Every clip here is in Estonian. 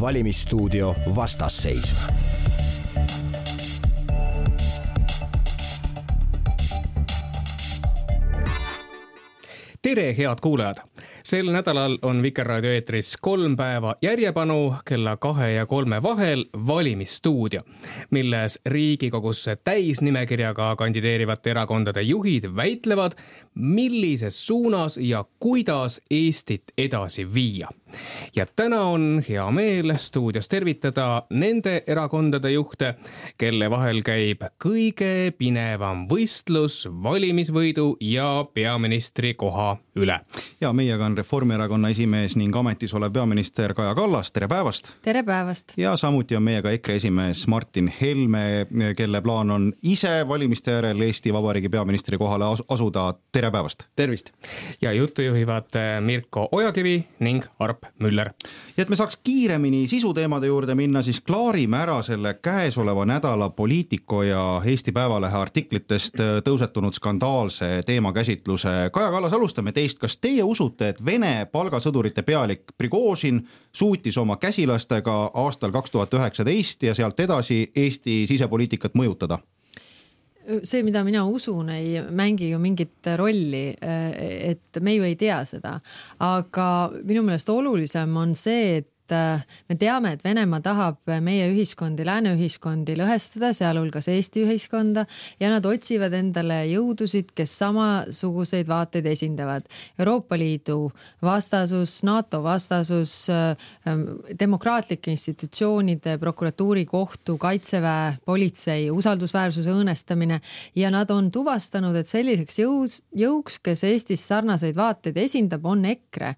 Valimisstuudio vastasseis. Tere, head kuulajad! Sel nädalal on Vikerraadio eetris 3 päeva järjepanu kella 2 ja 3 vahel Valimisstuudio, milles Riigikogusse täisnimekirjaga kandideerivate erakondade juhid väitlevad, millises suunas ja kuidas Eestit edasi viia. Ja täna on hea meel stuudios tervitada nende erakondade juhte, kelle vahel käib kõige pinevam võistlus valimisvõidu ja peaministri koha üle. Ja meiega on Reformierakonna esimees ning ametis olev peaminister Kaja Kallas. Tere päevast! Tere päevast! Ja samuti on meiega EKRE esimees Martin Helme, kelle plaan on ise valimiste järel Eesti Vabariigi peaministri kohale asuda. Tere päevast! Tervist! Ja juttu juhivad Mirko Ojakivi ning Arp Müller. Ja et me saaks kiiremini sisuteemade juurde minna, siis klaarime ära selle käesoleva nädala Poliitico ja Eesti Päevalehe artiklitest tõusetunud skandaalse teemakäsitluse. Kaja Kallas, alustame teist. Kas teie usute, et Vene palgasõdurite pealik Prigožin suutis oma käsilastega aastal 2019 ja sealt edasi Eesti sisepoliitikat mõjutada? See, mida mina usun, ei mängi ju mingit rolli, et me ju ei tea seda. Aga minu meelest olulisem on see, et me teame, et Venemaa tahab meie ühiskondi, lääne ühiskondi lõhestada, sealhulgas Eesti ühiskonda, ja nad otsivad endale jõudusid, kes samasuguseid vaateid esindavad. Euroopa Liidu vastasus, NATO vastasus, demokraatlike institutsioonide, prokuratuuri, kohtu, kaitseväe, politsei, usaldusväärsuse õõnestamine, ja nad on tuvastanud, et selliseks jõuks, kes Eestis sarnaseid vaateid esindab, on EKRE.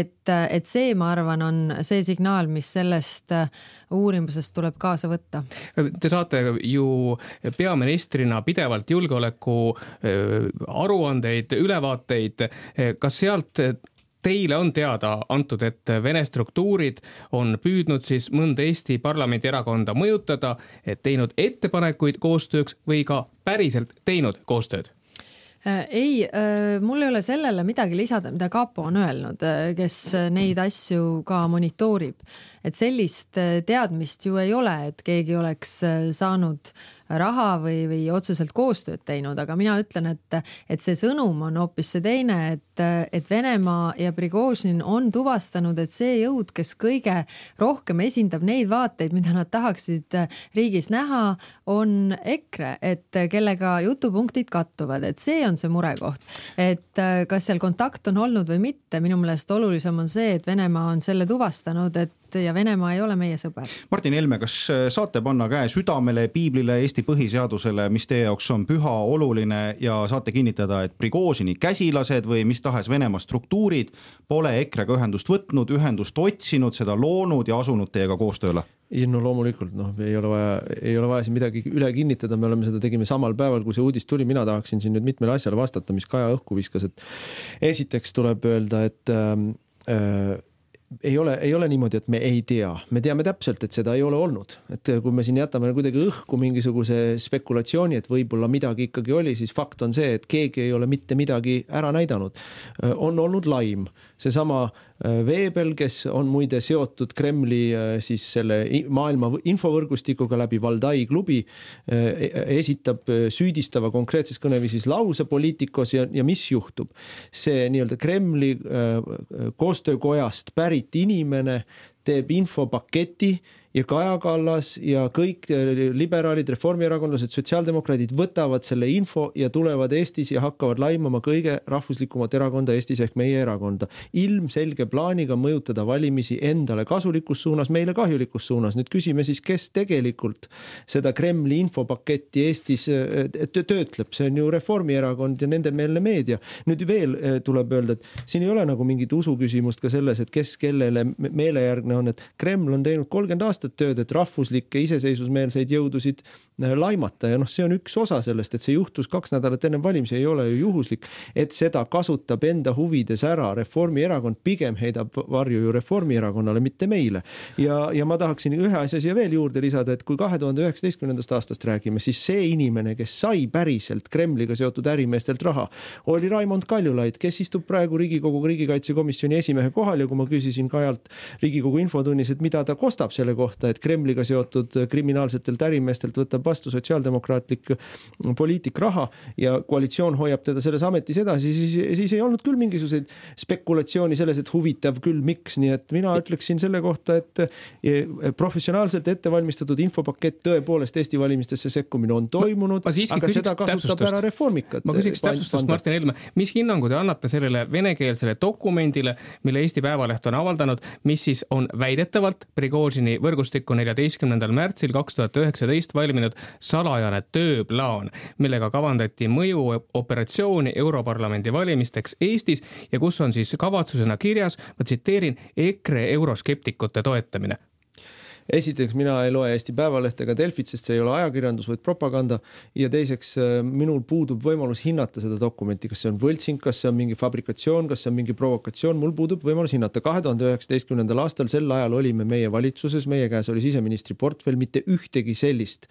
Et see, ma arvan, on see signaal, mis sellest uurimusest tuleb kaasa võtta. Te saate ju peaministrina pidevalt julgeoleku aruandeid, ülevaateid. Kas sealt teile on teada antud, et Vene struktuurid on püüdnud siis mõnda Eesti parlamendi erakonda mõjutada, et teinud ettepanekuid koostööks või ka päriselt teinud koostööd? Ei, mul ei ole sellele midagi lisada, mida Kapo on öelnud, kes neid asju ka monitoorib. Et sellist teadmist ju ei ole, et keegi oleks saanud raha või otseselt koostööd teinud, aga mina ütlen, et see sõnum on hoopis see teine, et Venemaa ja Prigožin on tuvastanud, et see jõud, kes kõige rohkem esindab neid vaateid, mida nad tahaksid riigis näha, on EKRE, et kellega jutupunktid kattuvad, et see on see murekoht. Et kas seal kontakt on olnud või mitte, minu meelest olulisem on see, et Venemaa on selle tuvastanud, ja Venemaa ei ole meie sõber. Martin Helme, kas saate panna käe südamele, piiblile, Eesti põhiseadusele, mis teie jaoks on püha, oluline, ja saate kinnitada, et Prigožini käsilased või mis tahes Venemaa struktuurid pole EKRE-ga ühendust võtnud, ühendust otsinud, seda loonud ja asunud teiega koostööle? No loomulikult, ei ole vaja siin midagi üle kinnitada, me oleme seda tegime samal päeval, kui see uudis tuli. Mina tahaksin siin nüüd mitmele asjale vastata, mis Kaja õhku viskas, et esiteks tuleb öelda, et ei ole niimoodi, et me ei tea. Me teame täpselt, et seda ei ole olnud. Et kui me siin jätame kuidagi õhku mingisuguse spekulatsiooni, et võib-olla midagi ikkagi oli, siis fakt on see, et keegi ei ole mitte midagi ära näidanud. On olnud laim. Seesama Veebel, kes on muide seotud Kremli siis selle maailma infovõrgustikuga läbi Valdai klubi, esitab süüdistava konkreetses kõneviisis lause Poliitikos ja mis juhtub? See nii-öelda Kremli koostöökojast pärit inimene teeb infopaketi ja Kaja Kallas ja kõik liberaalid, reformierakondlased, sotsiaaldemokraadid võtavad selle info ja tulevad Eestis ja hakkavad laimama kõige rahvuslikumat erakonda Eestis ehk meie erakonda. Ilmselge plaaniga mõjutada valimisi endale kasulikus suunas, meile kahjulikus suunas. Nüüd küsime siis, kes tegelikult seda Kremli infopaketti Eestis töötleb. See on ju Reformierakond ja nende meelne meedia. Nüüd veel tuleb öelda, et siin ei ole nagu mingit usuküsimust ka selles, et kes kellele meelejärgne on, et Kreml on teinud 30 aastat aastat tööd, et rahvuslikke iseseisvusmeelseid jõudusid laimata ja see on üks osa sellest, et see juhtus 2 nädalat enne valimisi, ei ole ju juhuslik, et seda kasutab enda huvides ära Reformierakond, pigem heidab varju ju Reformierakonnale, mitte meile. Ja ma tahaksin ühe asja siia veel juurde lisada, et kui 2019. aastast räägime, siis see inimene, kes sai päriselt Kremliga seotud ärimeestelt raha, oli Raimond Kaljulaid, kes istub praegu Riigikogu riigikaitsekomisjoni esimehe kohal ja kui ma küsisin Kajalt Riigikogu infotunnis, et mida ta kostab selle kohta, et Kremliga seotud kriminaalsetelt ärimeestelt võtab vastu sotsiaaldemokraatlik poliitik raha ja koalitsioon hoiab teda selles ametis edasi, siis ei olnud küll mingisuguseid spekulatsiooni selles, et huvitav küll, miks, nii et mina ütleksin selle kohta, et professionaalselt ettevalmistatud infopakett tõepoolest Eesti valimistesse sekkumine on toimunud, aga seda kasutab ära reformikat. Ma küsiks täpsustust, Martin Helme, mis hinnangu te annate sellele venekeelsele dokumendile, mille Eesti Päevaleht on avaldanud, mis siis on väidetavalt Prigožini võrgustikku 14. märtsil 2019 valminud salajane tööplaan, millega kavandati mõjuoperatsiooni Europarlamendi valimisteks Eestis ja kus on siis kavatsusena kirjas, ma tsiteerin, EKRE euroskeptikute toetamine. Esiteks, mina ei loe Eesti Päevalehte ega Delfit, sest see ei ole ajakirjandus, vaid propaganda. Ja teiseks, minul puudub võimalus hinnata seda dokumenti, kas see on võltsing, kas see on mingi fabrikatsioon, kas see on mingi provokatsioon. Mul puudub võimalus hinnata. 2019. aastal sel ajal olime meie valitsuses, meie käes oli siseministri portfell, mitte ühtegi sellist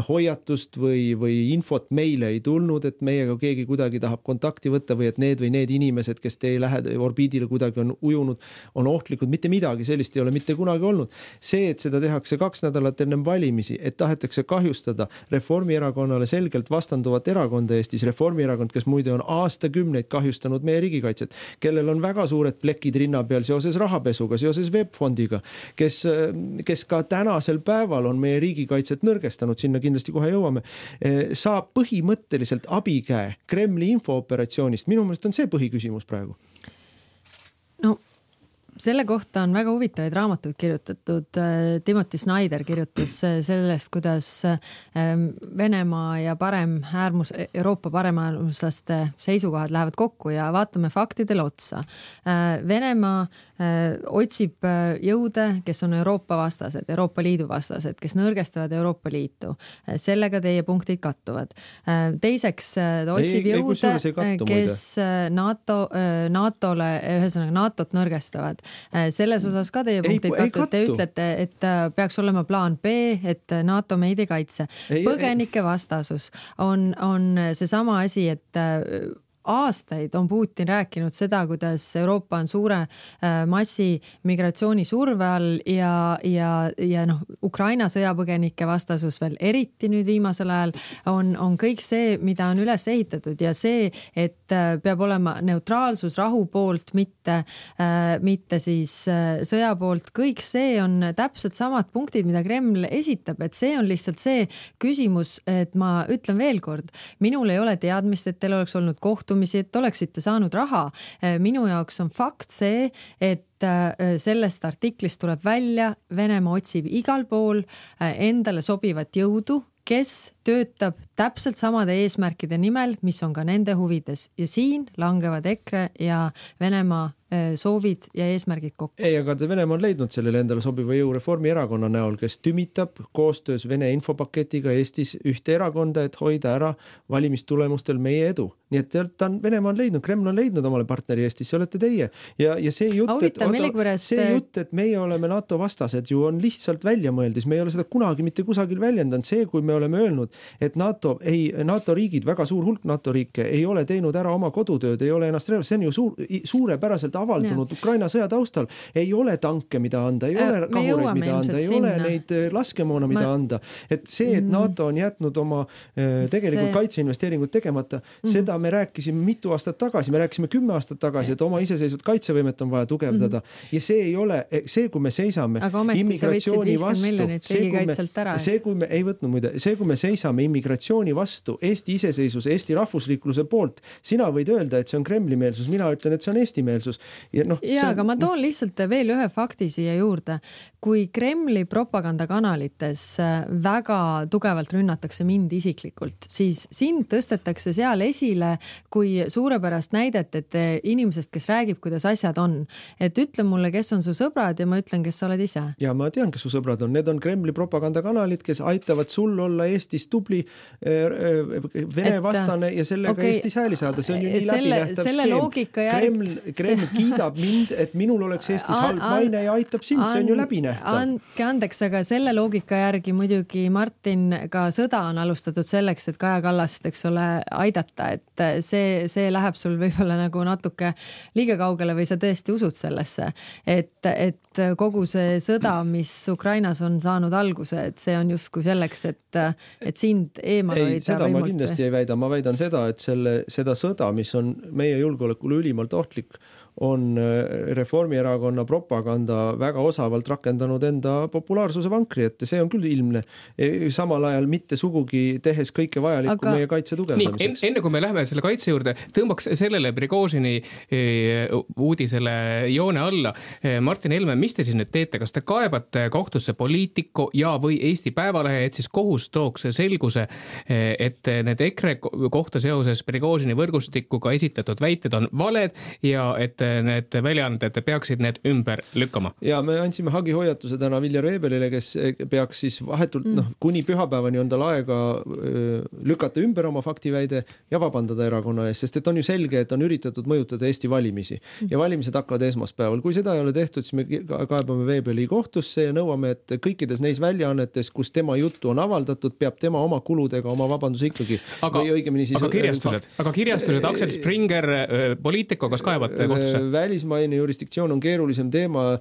hoiatust või infot meile ei tulnud, et meiega keegi kuidagi tahab kontakti võtta või et need inimesed, kes teie orbiidile kuidagi on ujunud, on ohtlikud. Mitte midagi sellist ei ole mitte kunagi olnud. See, et seda tehakse 2 nädalat ennem valimisi, et tahetakse kahjustada Reformierakonnale selgelt vastanduvat erakonda Eestis. Reformierakond, kes muide on aastakümneid kahjustanud meie riigikaitset, kellel on väga suured plekid rinna peal seoses rahapesuga, seoses webfondiga, kes ka tänasel päeval on meie riigikaitset nõrgestanud, sinna kindlasti kohe jõuame, saab põhimõtteliselt abikäe Kremli infooperatsioonist. Minu meelest on see põhiküsimus praegu. No selle kohta on väga huvitavaid raamatuid kirjutatud. Timothy Snyder kirjutas sellest, kuidas Venemaa ja Euroopa paremäärmuslaste seisukohad lähevad kokku ja vaatame faktidele otsa. Venemaa otsib jõude, kes on Euroopa vastased, Euroopa Liidu vastased, kes nõrgestavad Euroopa Liitu. Sellega teie punktid kattuvad. Teiseks otsib jõude, kes NATO-le, ühesõnaga NATO-t nõrgestavad. Selles osas ka teie punktid kattuvad. Te ütlete, et peaks olema plaan B, et NATO meid ei kaitse. Põgenike vastasus on seesama asi, et aastaid on Putin rääkinud seda, kuidas Euroopa on suure massi migratsiooni surve all ja Ukraina sõjapõgenike vastasus veel eriti nüüd viimasel ajal on kõik see, mida on üles ehitatud ja see, et peab olema neutraalsus rahu poolt, mitte siis sõja poolt. Kõik see on täpselt samad punktid, mida Kreml esitab, et see on lihtsalt see küsimus, et ma ütlen veel kord, minul ei ole teadmist, et teil oleks olnud et oleksite saanud raha. Minu jaoks on fakt see, et sellest artiklist tuleb välja, Venemaa otsib igal pool endale sobivat jõudu, kes töötab täpselt samade eesmärkide nimel, mis on ka nende huvides ja siin langevad EKRE ja Venemaa soovid ja eesmärgid kokku. Ei, aga Venemaa on leidnud sellele endale sobiva jõu Reformierakonna näol, kes tümitab koostöös Vene infopaketiga Eestis ühte erakonda, et hoida ära valimistulemustel meie edu. Nii et Venemaa on leidnud, Kreml on leidnud omale partneri Eestis, see olete teie. Ja see jutt, et meie oleme NATO vastased, ju on lihtsalt välja mõeldis. Me ei ole seda kunagi mitte kusagil väljendanud. See, kui me oleme öelnud, et NATO riigid, väga suur hulk NATO riike ei ole teinud ära oma kodutööd, ei ole ennast relvas, see on ju suurepäraselt avaldunud Ukraina sõja taustal. Ei ole tanke, mida anda, ei ole kahureid, mida anda, ei ole neid laskemoona, mida anda. Et see, et NATO on jätnud oma tegelikult kaitseinvesteeringut tegemata, seda me rääkisime mitu aastat tagasi, me rääkisime 10 aastat tagasi, et oma iseseisvat kaitsevõimet on vaja tugevdada ja see ei ole, see kui me seisame immigratsiooni vastu, see kui me seisame immigratsiooni vastu, Eesti iseseisvuse, Eesti rahvusriikluse poolt. Sina võid öelda, et see on Kremli-meelsus, mina ütlen, et see on Eesti-meelsus. Aga ma toon lihtsalt veel ühe fakti siia juurde. Kui Kremli propagandakanalites väga tugevalt rünnatakse mind isiklikult, siis sind tõstetakse seal esile kui suurepärast näidet, et inimesest, kes räägib, kuidas asjad on. Et ütle mulle, kes on su sõbrad ja ma ütlen, kes sa oled ise. Ja ma tean, kes su sõbrad on. Need on Kremli propagandakanalid, kes aitavad sul olla Eestis tubli Vene vastane ja sellega Eestis hääli saada. See on ju nii läbinähtav skeem. Kreml kiidab mind, et minul oleks Eestis halb maine ja aitab sind. See on ju läbinähtav. Andke andeks, aga selle loogika järgi muidugi Martin ka sõda on alustatud selleks, et Kaja Kallast, eks ole, aidata, et see läheb sul võib-olla nagu natuke liiga kaugele või sa tõesti usud sellesse, et kogu see sõda, mis Ukrainas on saanud alguse, et see on justkui selleks, et sind eemal hoida. Ei, seda ma kindlasti ei väida. Ma väidan seda, et seda sõda, mis on meie julgeolekule ülimalt ohtlik, on Reformierakonna propaganda väga osavalt rakendanud enda populaarsuse vankri, et see on küll ilmne. Samal ajal mitte sugugi tehes kõike vajalikku meie kaitse tugevdamiseks. Enne kui me läheme selle kaitse juurde, tõmbaks sellele Prigožini uudisele joone alla. Martin Helme, mis te siis nüüd teete? Kas te kaebate kohtusse Poliitico ja või Eesti Päevalehe, et siis kohus tooks selguse, et need EKRE kohta seoses Prigožini võrgustikuga esitatud väited on valed ja et need väljaanded peaksid need ümber lükkama? Ja me andsime hagihoiatuse täna Viljar Veebelile, kes peaks siis vahetult, kuni pühapäevani on tal aega lükata ümber oma faktiväide ja vabandada erakonna ees, sest et on ju selge, et on üritatud mõjutada Eesti valimisi ja valimised hakkavad esmaspäeval. Kui seda ei ole tehtud, siis me kaebame Veebeli kohtusse ja nõuame, et kõikides neis väljaannetes, kus tema juttu on avaldatud, peab tema oma kuludega oma vabanduse ikkagi. Aga kirjastused, Aksel Springer, Poliitico, kas kaebate kohtusse? Välismaine jurisdiktsioon on keerulisem teema,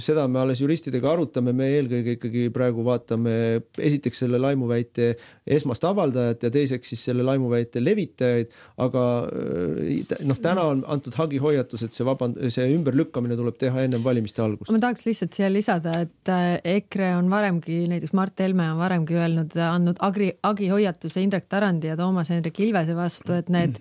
seda me alles juristidega arutame, me eelkõige ikkagi praegu vaatame esiteks selle laimuväite esmast avaldajat ja teiseks siis selle laimuväite levitajaid, aga täna on antud hagihoiatus, et see ümberlükkamine tuleb teha ennem valimiste algust. Ma tahaks lihtsalt siia lisada, et EKRE on varemgi, näiteks Mart Helme on varemgi andnud hagihoiatuse Indrek Tarandi ja Toomas Hendrik Ilvese vastu, et need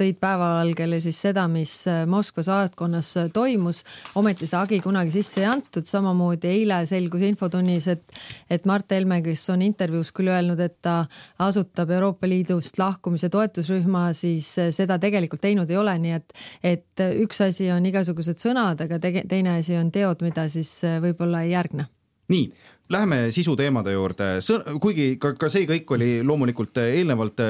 tõid päevavalgele siis seda, mis Moskva saatkonnas toimus, ometi seda hagi kunagi sisse ei antud, samamoodi eile selgus infotunnis, et Mart Helme, kes on intervjuus küll öelnud, et ta asutab Euroopa Liidust lahkumise toetusrühma, siis seda tegelikult teinud ei ole, nii et üks asi on igasugused sõnad, aga teine asi on teod, mida siis võib-olla ei järgne. Nii, läheme sisuteemade juurde, kuigi ka see kõik oli loomulikult eelnevalt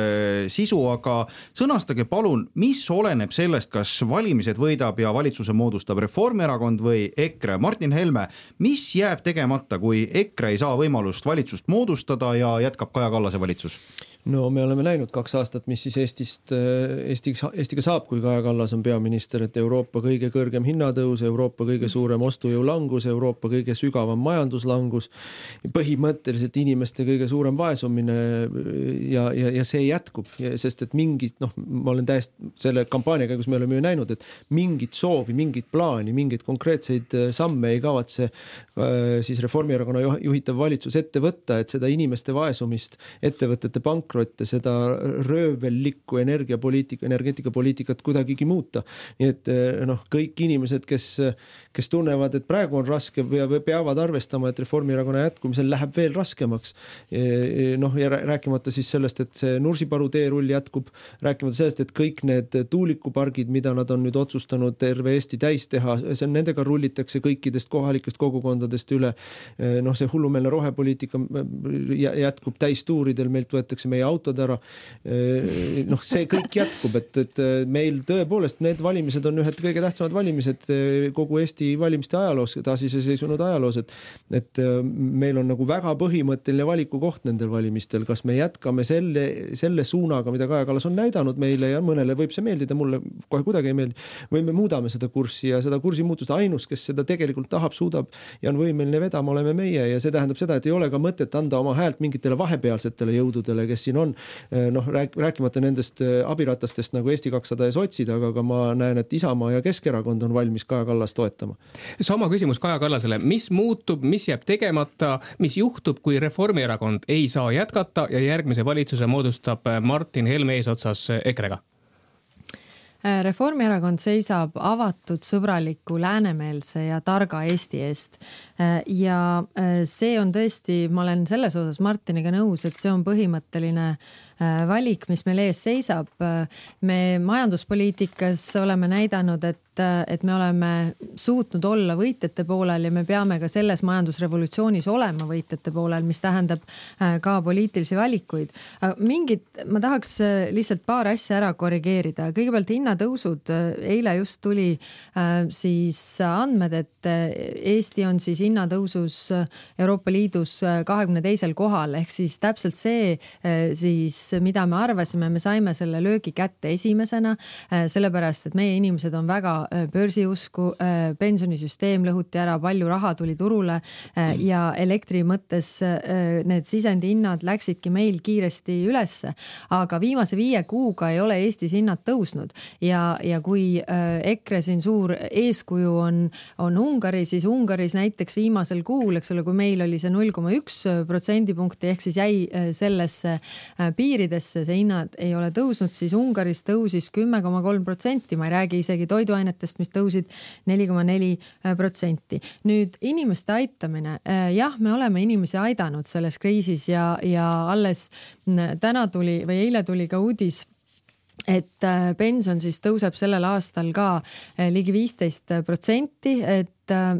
sisu, aga sõnastage palun, mis oleneb sellest, kas valimised võidab ja valitsuse moodustab Reformierakond või EKRE. Martin Helme, mis jääb tegemata, kui EKRE ei saa võimalust valitsust moodustada ja jätkab Kaja Kallase valitsus? No me oleme näinud 2 aastat, mis siis Eestiga saab, kui Kaja Kallas on peaminister, et Euroopa kõige kõrgem hinnatõus, Euroopa kõige suurem ostujõu langus, Euroopa kõige sügavam majanduslangus, põhimõtteliselt inimeste kõige suurem vaesumine ja see jätkub, sest et mingid, ma olen täiesti selle kampaania käigus me oleme ju näinud, et mingit soovi, mingit plaani, mingit konkreetseid samme ei kavatse siis Reformierakonna juhitav valitsus ette võtta, et seda inimeste vaesumist, ettevõtete pankrotte, seda röövellikku energeetikapoliitikat kuidagigi muuta. Nii et kõik inimesed, kes tunnevad, et praegu on raske, peavad arvestama, et Reformierakonna jätkumisel läheb veel raskemaks. Ja rääkimata siis sellest, et see Nursipalu teerull jätkub, rääkimata sellest, et kõik need tuulikupargid, mida nad on nüüd otsustanud terve Eesti täis teha, nendega rullitakse kõikidest kohalikest kogukondadest üle. See hullumeelne rohepoliitika jätkub täistuuridel, meilt võetakse meie autod ära. See kõik jätkub, et meil tõepoolest need valimised on ühed kõige tähtsamad valimised kogu Eesti valimiste ajaloos, taasiseseisvunud ajaloos, et meil on nagu väga põhimõtteline valikukoht nendel valimistel, kas me jätkame selle suunaga, mida Kaja Kallas on näidanud meile ja mõnele võib see meeldida, mulle kohe kuidagi ei meeldi, või me muudame seda kurssi ja seda kursi muutust ainus, kes seda tegelikult tahab, suudab ja on võimeline vedama, oleme meie ja see tähendab seda, et ei ole ka mõtet anda oma häält mingitele vahepealsetele jõududele, kes siin on, noh, rääkimata nendest abiratastest nagu Eesti 200 ja sotsid, aga ka ma näen, et Isamaa ja Keskerakond on valmis Kaja Kallas toetama. Sama küsimus Kaja Kallasele, mis muutub, mis jääb tegemata, mis juhtub, kui Reformierakond ei saa jätkata ja järgmise valitsuse moodustab Martin Helme eesotsas EKRE-ga? Reformierakond seisab avatud, sõbraliku, läänemeelse ja targa Eesti eest. Ja see on tõesti, ma olen selles osas Martiniga nõus, et see on põhimõtteline valik, mis meil ees seisab. Me majanduspoliitikas oleme näidanud, et me oleme suutnud olla võitjate poolel ja me peame ka selles majandusrevolutsioonis olema võitjate poolel, mis tähendab ka poliitilisi valikuid. Ma tahaks lihtsalt paar asja ära korrigeerida. Kõigepealt hinnatõusud. Eile just tuli siis andmed, et Eesti on siis hinnatõusus Euroopa Liidus 22. kohal, ehk siis täpselt see siis, mida me arvasime, me saime selle löögi kätte esimesena, sellepärast, et meie inimesed on väga börsiusku, pensionisüsteem lõhuti ära, palju raha tuli turule ja elektri mõttes need sisendi hinnad läksidki meil kiiresti ülesse. Aga viimase 5 kuuga ei ole Eestis hinnad tõusnud ja kui EKRE siin suur eeskuju on Ungari, siis Ungaris näiteks viimasel kuul, eks ole, kui meil oli see 0,1% punkti, ehk siis jäi sellesse piiridesse, see hinnad ei ole tõusnud, siis Ungaris tõusis 10,3%, ma ei räägi isegi toiduainetest, mis tõusid 4,4%. Nüüd inimeste aitamine. Jah, me oleme inimesi aidanud selles kriisis ja alles täna tuli või eile tuli ka uudis, et pension siis tõuseb sellel aastal ka ligi 15%, et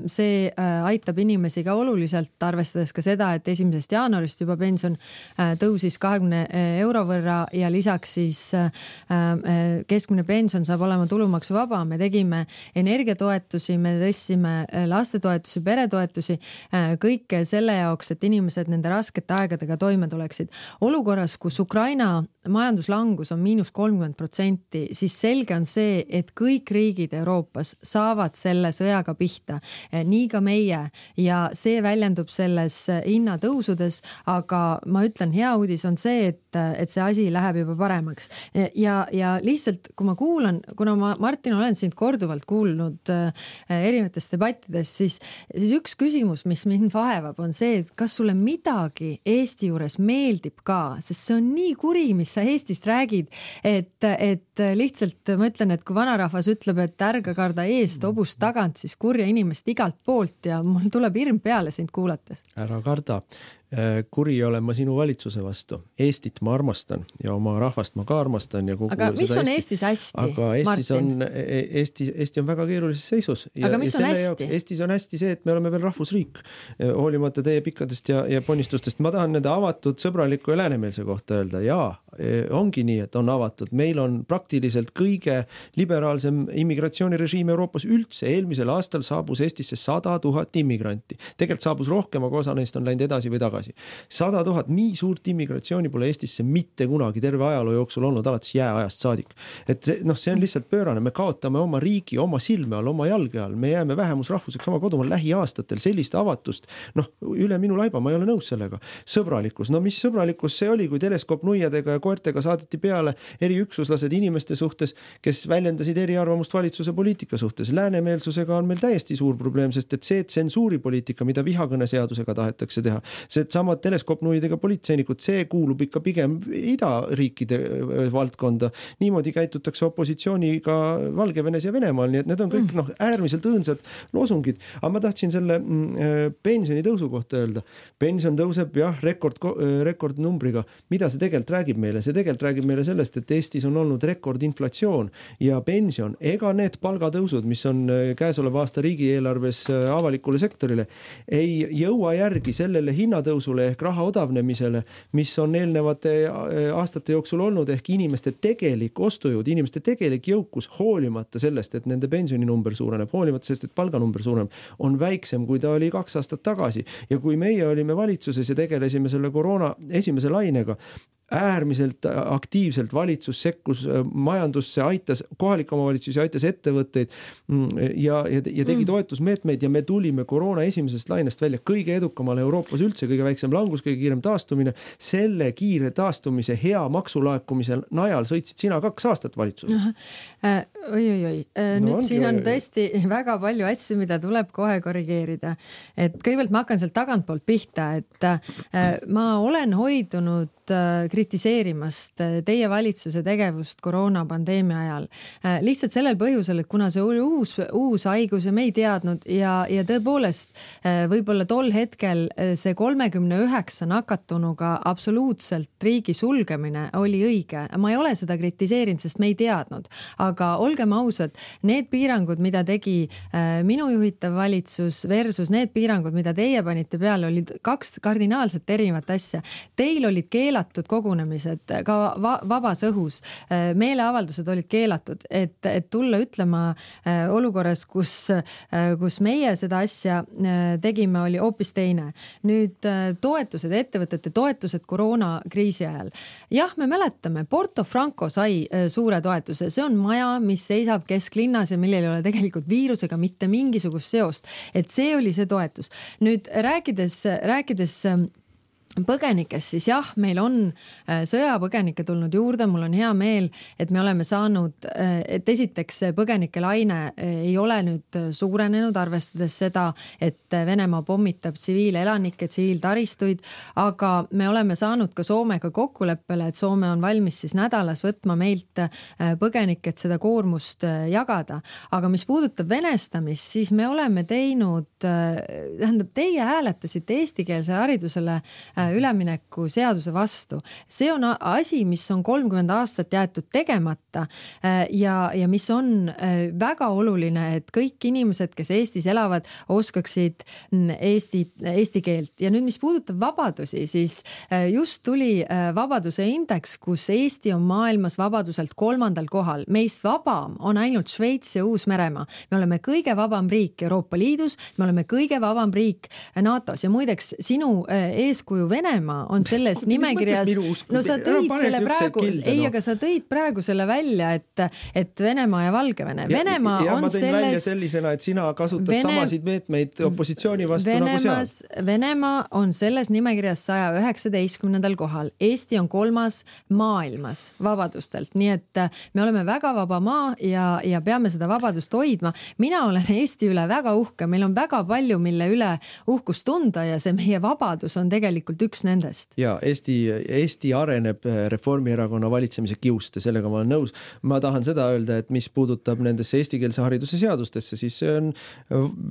see aitab inimesi ka oluliselt, arvestades ka seda, et 1. jaanuarist juba pension tõusis 20 euro võrra ja lisaks siis keskmine pension saab olema tulumaksuvaba. Me tegime energiatoetusi, me tõstsime lastetoetusi, peretoetusi, kõike selle jaoks, et inimesed nende raskete aegadega toime tuleksid. Olukorras, kus Ukraina majanduslangus on -30%, siis selge on see, et kõik riigid Euroopas saavad selle sõjaga pihta. Nii ka meie ja see väljendub selles hinnatõusudes, aga ma ütlen, hea uudis on see, et see asi läheb juba paremaks. Ja lihtsalt, kui ma kuulan, kuna ma, Martin, olen sind korduvalt kuulnud erinevates debattides, siis üks küsimus, mis mind vaevab, on see, et kas sulle midagi Eesti juures meeldib ka, sest see on nii kuri, mis sa Eestist räägid, et lihtsalt ma ütlen, et kui vanarahvas ütleb, et ärga karda eest, hobust tagant, siis kurja inimest igalt poolt ja mul tuleb hirm peale sind kuulates. Ära karda. Kuri olen ma sinu valitsuse vastu. Eestit ma armastan ja oma rahvast ma ka armastan. Ja aga mis on Eestis hästi, aga Eesti on väga keerulises seisus. Aga mis on hästi? Eestis on hästi see, et me oleme veel rahvusriik. Hoolimata teie pikkadest ja ponistustest. Ma tahan nende avatud, sõbraliku ja läänemeelse kohta öelda. Jaa, ongi nii, et on avatud. Meil on praktiliselt kõige liberaalsem immigratsioonirežiim Euroopas üldse. Eelmisel aastal saabus Eestisse 100 000 immigranti. Tegelikult saabus rohkem, aga osa neist on läinud edasi või tagasi. 100 000, nii suurt immigratsiooni pole Eestisse mitte kunagi terve ajaloo jooksul olnud, alates jääajast saadik. Et see on lihtsalt pöörane, me kaotame oma riigi, oma silme all, oma jalge all, me jääme vähemusrahvuseks oma kodumaal lähiaastatel, sellist avatust, üle minu laiba, ma ei ole nõus sellega. Sõbralikkus, mis sõbralikkus see oli, kui teleskoopnuiadega ja koertega saadeti peale eriüksuslased inimeste suhtes, kes väljendasid eriarvamust valitsuse poliitika suhtes. Läänemeelsusega on meil täiesti suur probleem, sest et see tsensuuripoliitika, mida vihakõneseadusega tahetakse teha, see samad teleskoopnuidega politseinikud, see kuulub ikka pigem idariikide valdkonda. Niimoodi käitutakse opositsiooniga Valgevenes ja Venemaal, nii et need on kõik äärmiselt õõnsad loosungid. Aga ma tahtsin selle pensioni tõusu kohta öelda. Pension tõuseb jah, rekordnumbriga. Mida see tegelikult räägib meile? See tegelikult räägib meile sellest, et Eestis on olnud rekordinflatsioon ja pension, ega need palgatõusud, mis on käesoleva aasta riigieelarves avalikule sektorile, ei jõua järgi sellele hinnatõusule ehk raha odavnemisele, mis on eelnevate aastate jooksul olnud, ehk inimeste tegelik ostujõud, inimeste tegelik jõukus, hoolimata sellest, et nende pensioninumber suureneb, hoolimata sellest, et palganumber suureneb, on väiksem, kui ta oli 2 aastat tagasi. Ja kui meie olime valitsuses ja tegelesime selle koroona esimese lainega, äärmiselt aktiivselt valitsus sekkus majandusse, aitas kohalikke omavalitsusi, aitas ettevõtteid ja tegi toetusmeetmeid ja me tulime koroona esimesest lainest välja kõige edukamal Euroopas üldse, kõige väiksem langus, kõige kiirem taastumine. Selle kiire taastumise hea maksulaekumise najal sõitsid sina 2 aastat valitsuses. Oi. Nüüd siin on tõesti väga palju asju, mida tuleb kohe korrigeerida. Et kõigepealt ma hakkan sealt tagantpoolt pihta, et ma olen hoidunud kritiseerimast teie valitsuse tegevust koroonapandeemia ajal. Lihtsalt sellel põhjusel, et kuna see oli uus haigus ja me ei teadnud ja tõepoolest võib-olla tol hetkel see 39 nakatunuga absoluutselt riigi sulgemine oli õige. Ma ei ole seda kritiseerinud, sest me ei teadnud. Aga olgem ausad, need piirangud, mida tegi minu juhitav valitsus versus need piirangud, mida teie panite peale, olid 2 kardinaalselt erinevat asja. Teil olid keelatud kogunemised ka vabas õhus. Meeleavaldused olid keelatud, et tulla ütlema olukorras, kus meie seda asja tegime, oli hoopis teine. Nüüd toetused, ettevõtete toetused koroonakriisi ajal. Jah, me mäletame, Porto Franco sai suure toetuse. See on maja, mis seisab kesklinnas ja millel ei ole tegelikult viirusega mitte mingisugust seost. Et see oli see toetus. Nüüd rääkides põgenikest, siis jah, meil on sõjapõgenikke tulnud juurde, mul on hea meel, et me oleme saanud, et esiteks põgenike laine ei ole nüüd suurenenud, arvestades seda, et Venemaa pommitab tsiviilelanikke, tsiviiltaristuid, aga me oleme saanud ka Soomega kokkuleppele, et Soome on valmis siis nädalas võtma meilt põgenikke, et seda koormust jagada. Aga mis puudutab venestamist, siis me oleme teinud, tähendab, teie hääletasite eestikeelse haridusele ülemineku seaduse vastu. See on asi, mis on 30 aastat jäetud tegemata ja mis on väga oluline, et kõik inimesed, kes Eestis elavad, oskaksid eesti keelt. Ja nüüd, mis puudutab vabadusi, siis just tuli vabaduse indeks, kus Eesti on maailmas vabaduselt 3. kohal. Meist vabam on ainult Šveits ja Uus-Meremaa. Me oleme kõige vabam riik Euroopa Liidus, me oleme kõige vabam riik NATOs ja muideks sinu eeskuju Venemaa on selles nimekirjas. No sa tõid selle praegu, aga sa tõid praegu selle välja, et Venemaa ja Valgevene. Venemaa on ma tõin välja sellisena, et sina kasutad samasid meetmeid opositsiooni vastu nagu seal. Venemaa on selles nimekirjas 119. kohal. Eesti on 3. maailmas vabadustelt. Nii et me oleme väga vaba maa ja peame seda vabadust hoidma. Mina olen Eesti üle väga uhke. Meil on väga palju, mille üle uhkust tunda ja see meie vabadus on tegelikult üks nendest. Ja Eesti areneb Reformierakonna valitsemise kiuste, sellega ma olen nõus. Ma tahan seda öelda, et mis puudutab nendesse eestikeelse hariduse seadustesse, siis see on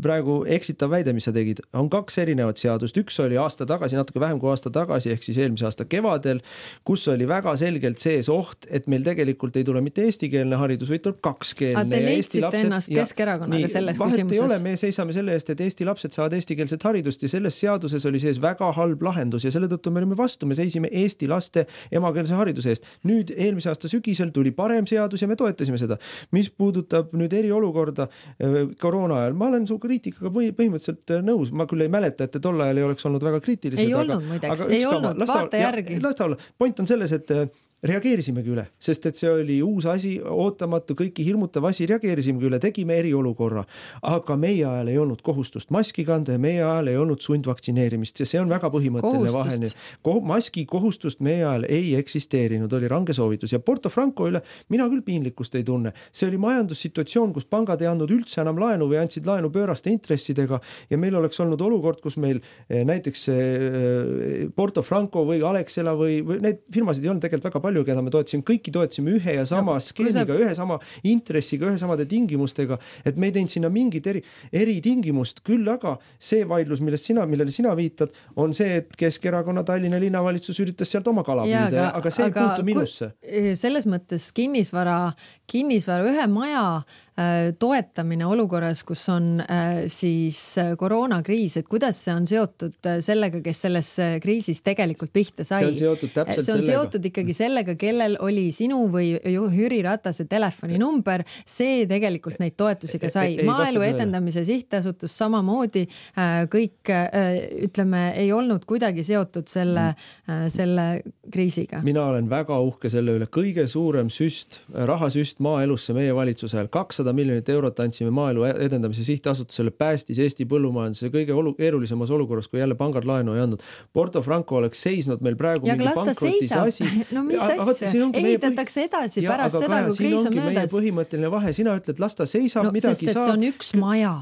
praegu eksitav väide, mis sa tegid. On 2 erinevat seadust. Üks oli aasta tagasi, natuke vähem kui aasta tagasi, ehk siis eelmise aasta kevadel, kus oli väga selgelt sees oht, et meil tegelikult ei tule mitte eestikeelne haridus, vaid tuleb 2-keelne. Te leidsite ennast Keskerakonnaga selles küsimuses? Ei ole, me seisame selle eest, et Eesti lapsed saavad eestikeelset haridust ja selles seaduses oli sees väga halb lahendus ja selle tõttu me olime vastu, me seisime Eesti laste emakeelse hariduse eest. Nüüd eelmise aasta sügisel tuli parem seadus ja me toetasime seda. Mis puudutab nüüd eriolukorda koroona ajal, ma olen su kriitikaga põhimõtteliselt nõus. Ma küll ei mäleta, et tol ajal ei oleks olnud väga kriitilised. Ei olnud muideks, ei olnud, vaata järgi. Point on selles, et reageerisimegi üle, sest et see oli uus asi, ootamatu, kõiki hirmutav asi, reageerisimegi üle, tegime eriolukorra, aga meie ajal ei olnud kohustust maski kanda ja meie ajal ei olnud sundvaktsineerimist ja see on väga põhimõtteline vahe. Maski kohustust meie ajal ei eksisteerinud, oli range soovitus ja Porto Franco üle mina küll piinlikkust ei tunne. See oli majandussituatsioon, kus pangad ei andnud üldse enam laenu või andsid laenu pööraste intressidega ja meil oleks olnud olukord, kus meil näiteks Porto Franco või Alexela või need firmasid ei olnud tegelikult väga palju, keda me toetasime, kõiki toetasime ühe ja sama skeemiga, ühe sama intressiga, ühe samade tingimustega, et me ei teinud sinna mingit eri tingimust, küll aga see vaidlus, millele sina viitad, on see, et Keskerakonna Tallinna linnavalitsus üritas sealt oma kala püüda, aga see ei puutu minusse. Selles mõttes kinnisvara ühe maja toetamine olukorras, kus on siis koroonakriis, et kuidas see on seotud sellega, kes selles kriisis tegelikult pihta sai? See on seotud täpselt see on seotud ikkagi sellega, kellel oli sinu või Jüri Ratase telefoninumber, see tegelikult neid toetusi ka sai. Maaelu edendamise sihtasutus samamoodi kõik, ütleme, ei olnud kuidagi seotud selle kriisiga. Mina olen väga uhke selle üle. Kõige suurem rahasüst maaelusse meie valitsusel. 200 miljonit eurot andsime maaelu edendamise sihtasutusele, päästis Eesti põllumajanduse kõige keerulisemas olukorras, kui jälle pangad laenu ei andnud. Porto Franco oleks seisnud meil praegu mingi pankrotis asi. No mis asja? Ehitatakse edasi pärast seda, kui kriis on möödas. Meie põhimõtteline vahe. Sina ütled, las ta seisab, midagi sest, saab. See on üks maja.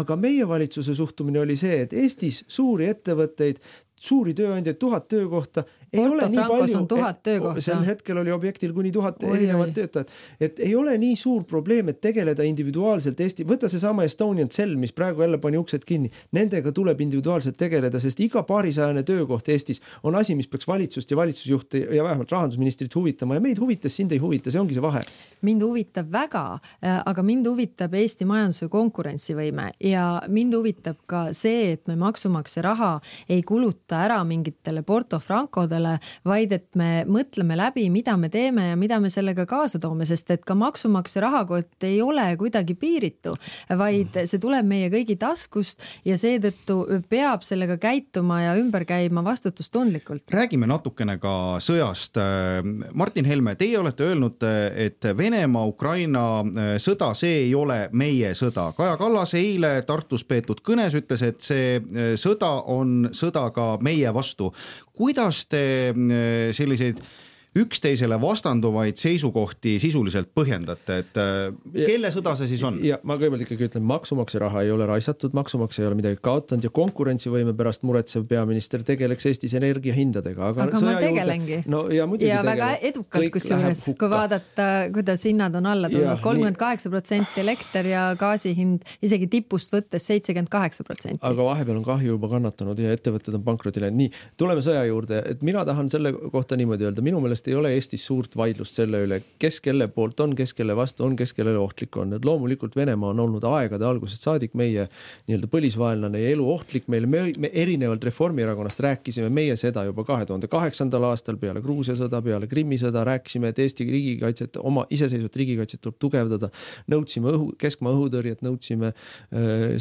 Aga meie valitsuse suhtumine oli see, et Eestis suuri ettevõtteid, suuri tööandjaid, 1000 töökohta ei Porto ole nii Francos palju. On 1000 töökohta. Sel hetkel oli objektil kuni 1000 erinevat töötajat. Et ei ole nii suur probleem, et tegeleda individuaalselt Eesti. Võta see sama Estonian Cell, mis praegu jälle pani uksed kinni. Nendega tuleb individuaalselt tegeleda, sest iga paarisajane töökoht Eestis on asi, mis peaks valitsust ja valitsusjuhte ja vähemalt rahandusministrit huvitama. Ja meid huvitas, sind ei huvita, see ongi see vahe. Mind huvitab väga, aga mind huvitab Eesti majanduse konkurentsivõime ja mind huvitab ka see, et me maksumaksja raha ei kuluta ära mingitele Porto Francodele, vaid et me mõtleme läbi, mida me teeme ja mida me sellega kaasa toome, sest et ka maksumaksja rahakott ei ole kuidagi piiritu, vaid see tuleb meie kõigi taskust ja seetõttu peab sellega käituma ja ümber käima vastutustundlikult. Räägime natukene ka sõjast. Martin Helme, teie olete öelnud, et Venemaa-Ukraina sõda, see ei ole meie sõda. Kaja Kallas eile Tartus peetud kõnes ütles, et see sõda on sõda ka meie vastu. Kuidas te selliseid üksteisele vastanduvaid seisukohti sisuliselt põhjendate, et kelle sõda see siis on? Ja ma kõigepealt ikkagi ütlen, maksumaksja raha ei ole raisatud, maksumaksja ei ole midagi kaotanud ja konkurentsivõime pärast muretsev peaminister tegeleks Eestis energiahindadega. Aga ma tegelengi. No, ja väga edukalt, kusjuures, kui vaadata, kuidas hinnad on alla tulnud, 38% elekter ja gaasihind isegi tipust võttes 78%. Aga vahepeal on kahju juba kannatanud ja ettevõtted on pankrotile. Nii, tuleme sõja juurde, et mina tahan selle kohta niimoodi öelda. Minu meelest ei ole Eestis suurt vaidlust selle üle, kes kelle poolt on, kes kelle vastu on, kes kellele ohtlik on. Et loomulikult Venemaa on olnud aegade algusest saadik meie nii-öelda põlisvaenlane ja elu ohtlik meile. Me erinevalt Reformierakonnast rääkisime meie seda juba 2008. aastal peale Gruusia sõda, peale Krimmi sõda, rääkisime, et Eesti riigikaitset, oma iseseisvat riigikaitset tuleb tugevdada. Nõudsime keskmaa õhutõrjet, nõudsime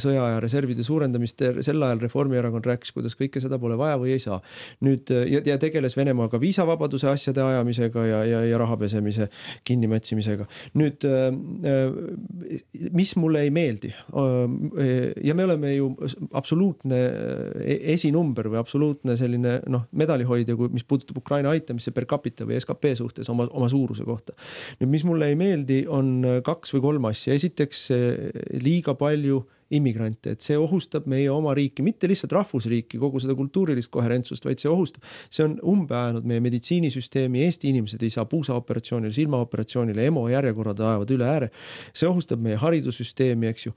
sõjaaja reservide suurendamist. Sel ajal Reformierakond rääkis, kuidas kõike seda pole vaja või ei saa. Nüüd, ja tegeles Venemaaga viisavabaduse asjade ajamisega ja rahapesemise kinnimätsimisega. Nüüd, mis mulle ei meeldi, ja me oleme ju absoluutne esinumber või absoluutne selline medalihoidja, mis puudutab Ukraina aitamisse per capita või SKP suhtes oma suuruse kohta. Nüüd, mis mulle ei meeldi, on 2 või 3 asja. Esiteks liiga palju immigrante, et see ohustab meie oma riiki, mitte lihtsalt rahvusriiki, kogu seda kultuurilist koherentsust, vaid see on umbeajanud meie meditsiinisüsteemi, Eesti inimesed ei saa puusaoperatsioonile, silmaoperatsioonile, EMO järjekorrad ajavad üle ääre. See ohustab meie haridussüsteemi, eks ju.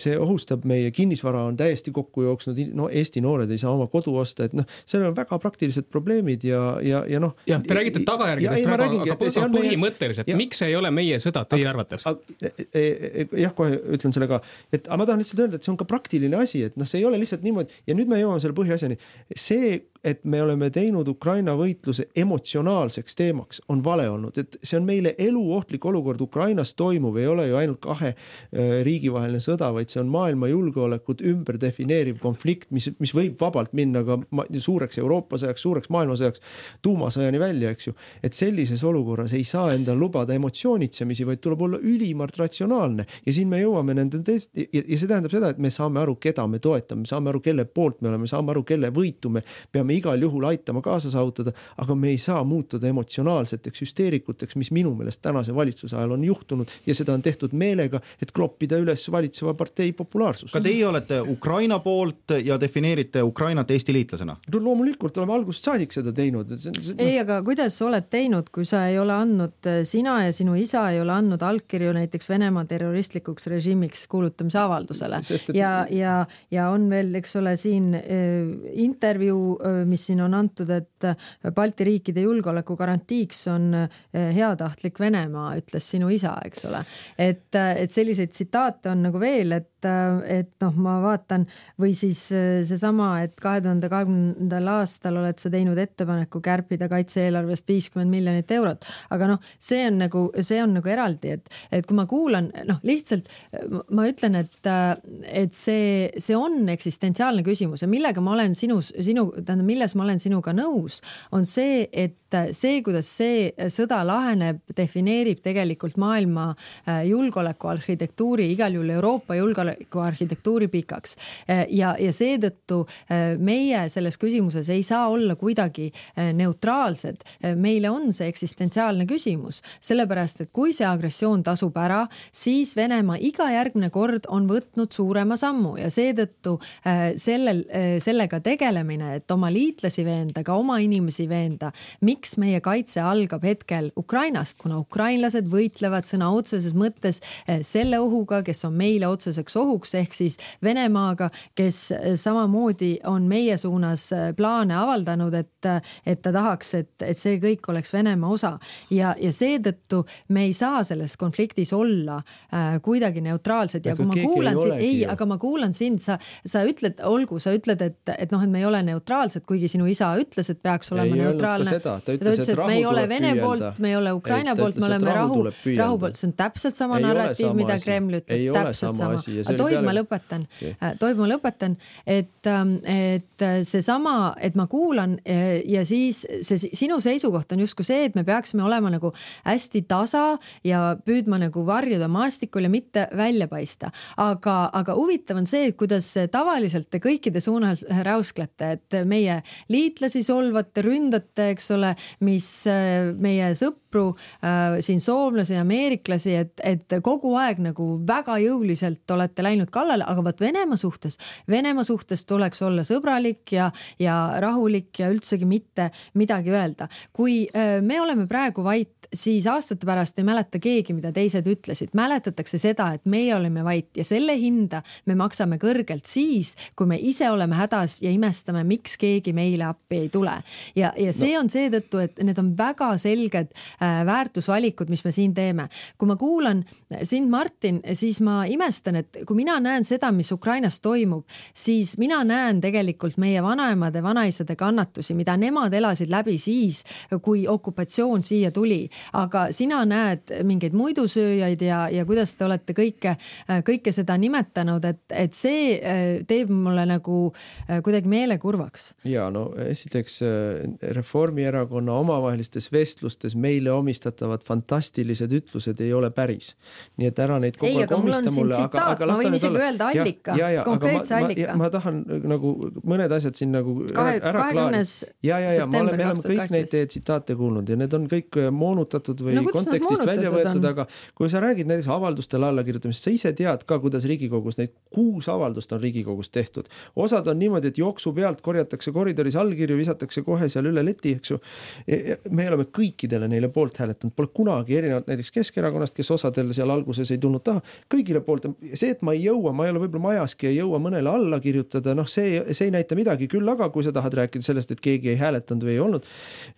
See ohustab meie kinnisvara on täiesti kokku jooksnud, Eesti noored ei saa oma kodu osta, et seal on väga praktilised probleemid ja te räägite tagajärgedest, aga põhimõtteliselt, miks ei ole meie sõda teie arvates? Jah, kohe ütlen selle ka, et ma tahan lihtsalt öelda, et see on ka praktiline asi, et see ei ole lihtsalt niimoodi ja nüüd me jõuame selle põhiasjani. See, et me oleme teinud Ukraina võitluse emotsionaalseks teemaks, on vale olnud, et see on meile eluohtlik olukord. Ukrainas toimuv ei ole ju ainult 2 riigivaheline sõda, vaid see on maailma julgeolekut ümber defineeriv konflikt, mis võib vabalt minna ka suureks Euroopa sõjaks, suureks maailma sõjaks, tuumasõjani välja, eks ju. Et sellises olukorras ei saa endal lubada emotsioonitsemisi, vaid tuleb olla ülimalt ratsionaalne ja siin me jõuame nende ja see tähendab seda, et me saame aru, keda me toetame, me saame aru, kelle poolt me oleme, saame aru, kelle võitu me peame igal juhul aitama kaasa saavutada, aga me ei saa muutuda emotsionaalseteks hüsteerikuteks, mis minu meelest tänase valitsuse ajal on juhtunud ja seda on tehtud meelega, et kloppida üles valitseva partei populaarsust. Ka teie olete Ukraina poolt ja defineerite Ukrainat Eesti liitlasena? Loomulikult oleme algusest saadik seda teinud. Ei, aga kuidas oled teinud, kui sa ei ole andnud, sina ja sinu isa ei ole andnud allkirju näiteks Venemaa terroristlikuks režiimiks kuulutamise avaldusele ja on veel, eks ole, siin intervjuu mis siin on antud, et Balti riikide julgeoleku garantiiks on heatahtlik Venemaa, ütles sinu isa, eks ole. Et selliseid tsitaate on nagu veel, et ma vaatan või siis seesama, et 2020. aastal oled sa teinud ettepaneku kärpida kaitse-eelarvest 50 miljonit eurot. Aga see on nagu eraldi, et kui ma kuulan, lihtsalt ma ütlen, et see on eksistentsiaalne küsimus ja millega ma olen milles ma olen sinuga nõus, on see, et see, kuidas see sõda laheneb, defineerib tegelikult maailma julgeolekuarhitektuuri, igal juhul Euroopa julgeolekuarhitektuuri pikaks. Ja seetõttu meie selles küsimuses ei saa olla kuidagi neutraalsed. Meile on see eksistentsiaalne küsimus, sellepärast, et kui see agressioon tasub ära, siis Venemaa iga järgmine kord on võtnud suurema sammu ja seetõttu sellega tegelemine, et oma liitlasi veenda, ka oma inimesi veenda, miks meie kaitse algab hetkel Ukrainast, kuna ukrainlased võitlevad sõna otseses mõttes selle ohuga, kes on meile otseseks ohuks, ehk siis Venemaaga, kes samamoodi on meie suunas plaane avaldanud, et ta tahaks, et see kõik oleks Venemaa osa. Ja seetõttu me ei saa selles konfliktis olla kuidagi neutraalsed ja kui ma kuulan sind, aga ma kuulan sind, sa ütled, et me ei ole neutraalsed, kuigi sinu isa ütles, et peaks olema neutraalne. Ta ütles, et me ei ole Vene poolt, me ei ole Ukraina poolt, me oleme rahu poolt. See on täpselt sama narratiiv, mida Kreml ütleb. Täpselt sama. Tohib ma lõpetan, et seesama, et ma kuulan ja siis sinu seisukoht on justkui see, et me peaksime olema nagu hästi tasa ja püüdma nagu varjuda maastikul ja mitte välja paista. Aga huvitav on see, et kuidas tavaliselt te kõikide suunas räusklete, et meie liitlasi solvate, ründate, eks ole, mis meie sõpru, siin soomlasi ja ameeriklasi, et kogu aeg nagu väga jõuliselt olete läinud kallale, aga vaat Venemaa suhtes tuleks olla sõbralik ja rahulik ja üldsegi mitte midagi öelda. Kui me oleme praegu vait, siis aastate pärast ei mäleta keegi, mida teised ütlesid. Mäletatakse seda, et meie oleme vait ja selle hinda me maksame kõrgelt siis, kui me ise oleme hädas ja imestame, miks keegi meile appi ei tule. Ja see on seetõttu, et need on väga selged väärtusvalikud, mis me siin teeme. Kui ma kuulan sind, Martin, siis ma imestan, et kui mina näen seda, mis Ukrainas toimub, siis mina näen tegelikult meie vanaemade, vanaisade kannatusi, mida nemad elasid läbi siis, kui okupatsioon siia tuli. Aga sina näed mingeid muidusööjaid ja kuidas te olete kõike seda nimetanud, et see teeb mulle nagu kuidagi meelekurvaks. Ja esiteks Reformierakonna omavahelistes vestlustes meile omistatavad fantastilised ütlused ei ole päris. Nii et ära neid kogu aeg omista mulle. Ma võin isegi öelda allika, konkreetse allika. Ma tahan nagu mõned asjad siin nagu ära klaarida. Ja, me oleme kõik neid teie tsitaate kuulnud ja need on kõik moonutatud või kontekstist välja võetud, aga kui sa räägid näiteks avaldustele allakirjutamist, sa ise tead ka, kuidas Riigikogus neid 6 avaldust on Riigikogus tehtud. Osad on niimoodi, et jooksu pealt korjatakse koridoris allkirju, visatakse kohe seal üle leti, eks ju. Me oleme kõikidele neile poolt hääletanud, pole kunagi erinevalt näiteks Keskerakonnast, kes osadel seal alguses ei tulnud taha, kõigile poolt. See, et ma ei ole võib-olla majaski, ei jõua mõnele alla kirjutada, see ei näita midagi küll, aga kui sa tahad rääkida sellest, et keegi ei hääletanud või ei olnud,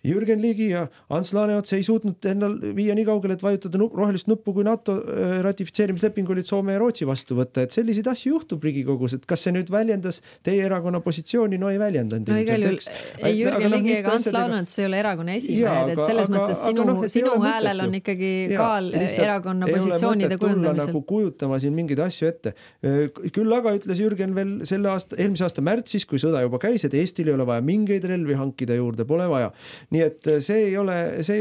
Jürgen Ligi ja Ants Laaneots ei suutnud ennal viia nii kaugele, et vajutada rohelist nuppu, kui NATO ratifitseerimisleping olid Soome ja Rootsi vastu võtta, et selliseid asju juhtub Riigikogus, et kas see nüüd väljendas teie erakonna positsiooni, ei väljendanud. Ei Jürgen Ligi ega Ants Laaneots ei ole erakonna esimehed, et selles mõttes sinu häälel on ikkagi kaal erakonna positsioonide kujundamisel. Nagu kujutama siin mingeid asju ette. Küll aga ütles Jürgen veel eelmise aasta märtsis, kui sõda juba käis, et Eestil ei ole vaja mingeid relvi hankida juurde, pole vaja. Nii et see ei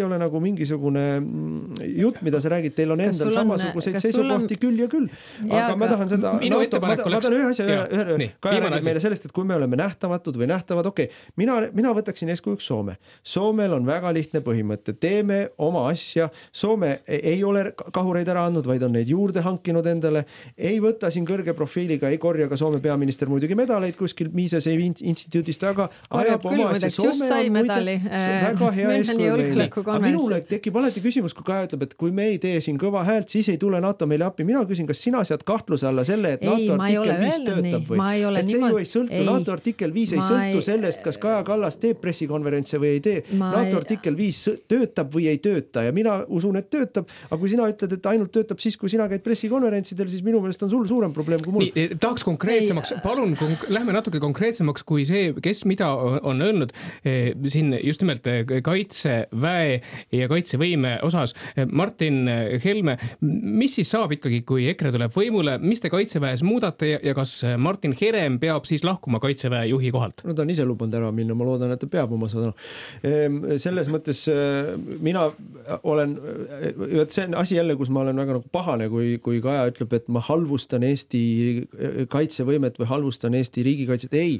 ole nagu mingisugune jutt, mida sa räägid, teil on endal samasuguseid seisukohti küll ja küll. Aga ma tahan seda ma tahan ühe asja Kaja räägib meile sellest, et kui me oleme nähtamatud või nähtavad, mina võtaksin eeskujuks Soome. Soomel on väga lihtne põhimõte. Teeme oma asja. Soome ei ole kahureid ära andnud, vaid on neid juurde hankinud endale. Ei võta siin kõrge profiiliga, ei korja ka Soome peaminister muidugi medaleid kuskil Miisese instituudist, aga ajab oma asja. Soome on muide väga hea eeskuju. Minule tekib alati küsimus, kui Kaja ütleb, et kui me ei tee siin kõva häält, siis ei tule NATO meile appi. Mina küsin, kas sina sead kahtluse alla selle, et NATO artikkel 5 töötab või? Et see ju ei sõltu, NATO artikkel 5 ei sõltu sellest, kas Kaja Kallas teeb pressikonverentse või ei tee. NATO artikkel 5 töötab või ei tööta ja mina usun, et töötab, aga kui sina ütled, et ainult töötab siis, kui sina käid pressikonverentsidel, siis minu meelest on sul suurem probleem kui mul. Tahaks konkreetsemaks, palun, lähme natuke konkreetsemaks kui see, kes mida on öelnud siin just nimelt kaitseväe ja kaitsevõime osas. Martin Helme, mis siis saab ikkagi, kui EKRE tuleb võimule, mis te kaitseväes muudate ja kas Martin Herem peab siis lahkuma kaitseväe juhi kohalt? No ta on ise lubanud ära minna, ma loodan, et ta peab oma sõna. Selles mõttes mina olen, see on asi jälle, kus ma olen väga pahane, kui Kaja ütleb, et ma halvustan Eesti kaitsevõimet või halvustan Eesti riigikaitset. Ei,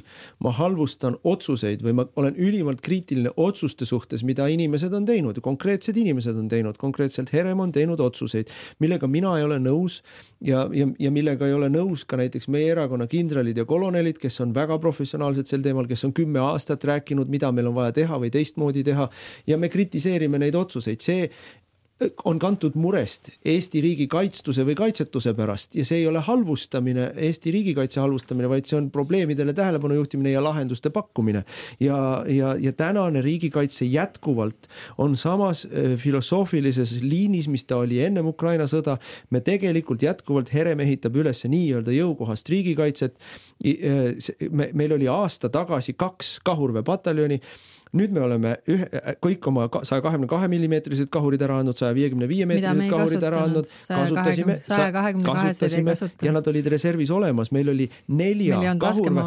ma halvustan otsuseid või ma olen ülimalt kriitiline otsuste suhtes, mida inimesed on teinud. Konkreetsed inimesed on teinud, konkreetselt Herem on teinud otsuseid, millega mina ei ole nõus ja millega ei ole nõus ka näiteks meie erakonna kindralid ja kolonelid, kes on väga professionaalsed sel teemal, kes on 10 aastat rääkinud, mida meil on vaja teha või teistmoodi teha ja me kritiseerime neid otsuseid. See on kantud murest Eesti riigi kaitstuse või kaitsetuse pärast ja see ei ole halvustamine, Eesti riigikaitse halvustamine, vaid see on probleemidele tähelepanu juhtimine ja lahenduste pakkumine. Ja tänane riigikaitse jätkuvalt on samas filosoofilises liinis, mis ta oli ennem Ukraina sõda. Me tegelikult jätkuvalt Herem ehitab üles nii-öelda jõukohast riigikaitset. Meil oli aasta tagasi 2 kahurväepataljoni. Nüüd me oleme kõik oma 122 millimeetrised kahurid ära andnud, 155 meetrised kahurid ära andnud, kasutasime ja nad olid reservis olemas. Meil oli 4 kahurve.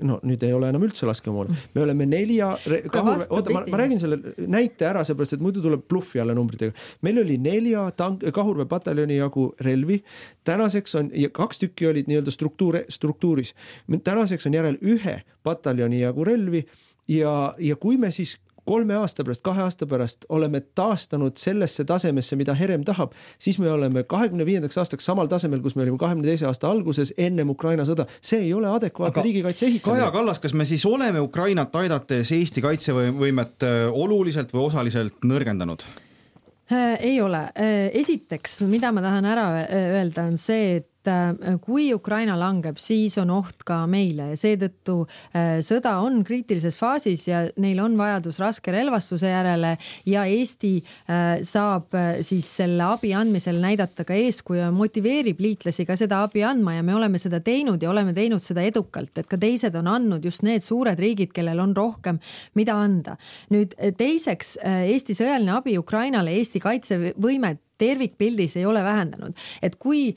Nüüd ei ole enam üldse laskemoona. Me oleme 4 kahurve. Oota, ma räägin selle näite ära, seepärast, et muidu tuleb bluffi alla numbritega. Meil oli 4 kahurve pataljoni jagu relvi. Tänaseks on, ja 2 tükki olid nii-öelda struktuuris. Tänaseks on järel 1 pataljoni jagu relvi. Ja kui me siis 3 aasta pärast, 2 aasta pärast oleme taastanud sellesse tasemesse, mida Herem tahab, siis me oleme 25. aastaks samal tasemel, kus me olime 22. aasta alguses ennem Ukraina sõda. See ei ole adekvaatne riigikaitse ehitamine. Kaja Kallas, kas me siis oleme Ukrainat aidates Eesti kaitsevõimet oluliselt või osaliselt nõrgendanud? Ei ole. Esiteks, mida ma tahan ära öelda, on see, et kui Ukraina langeb, siis on oht ka meile ja seetõttu sõda on kriitilises faasis ja neil on vajadus raske relvastuse järele ja Eesti saab siis selle abi andmisel näidata ka eeskuju ja motiveerib liitlasi ka seda abi andma ja me oleme seda teinud ja oleme teinud seda edukalt, et ka teised on andnud just need suured riigid, kellel on rohkem mida anda. Nüüd teiseks, Eesti sõjaline abi Ukrainale, Eesti kaitsevõimet tervikpildis ei ole vähendanud. Et kui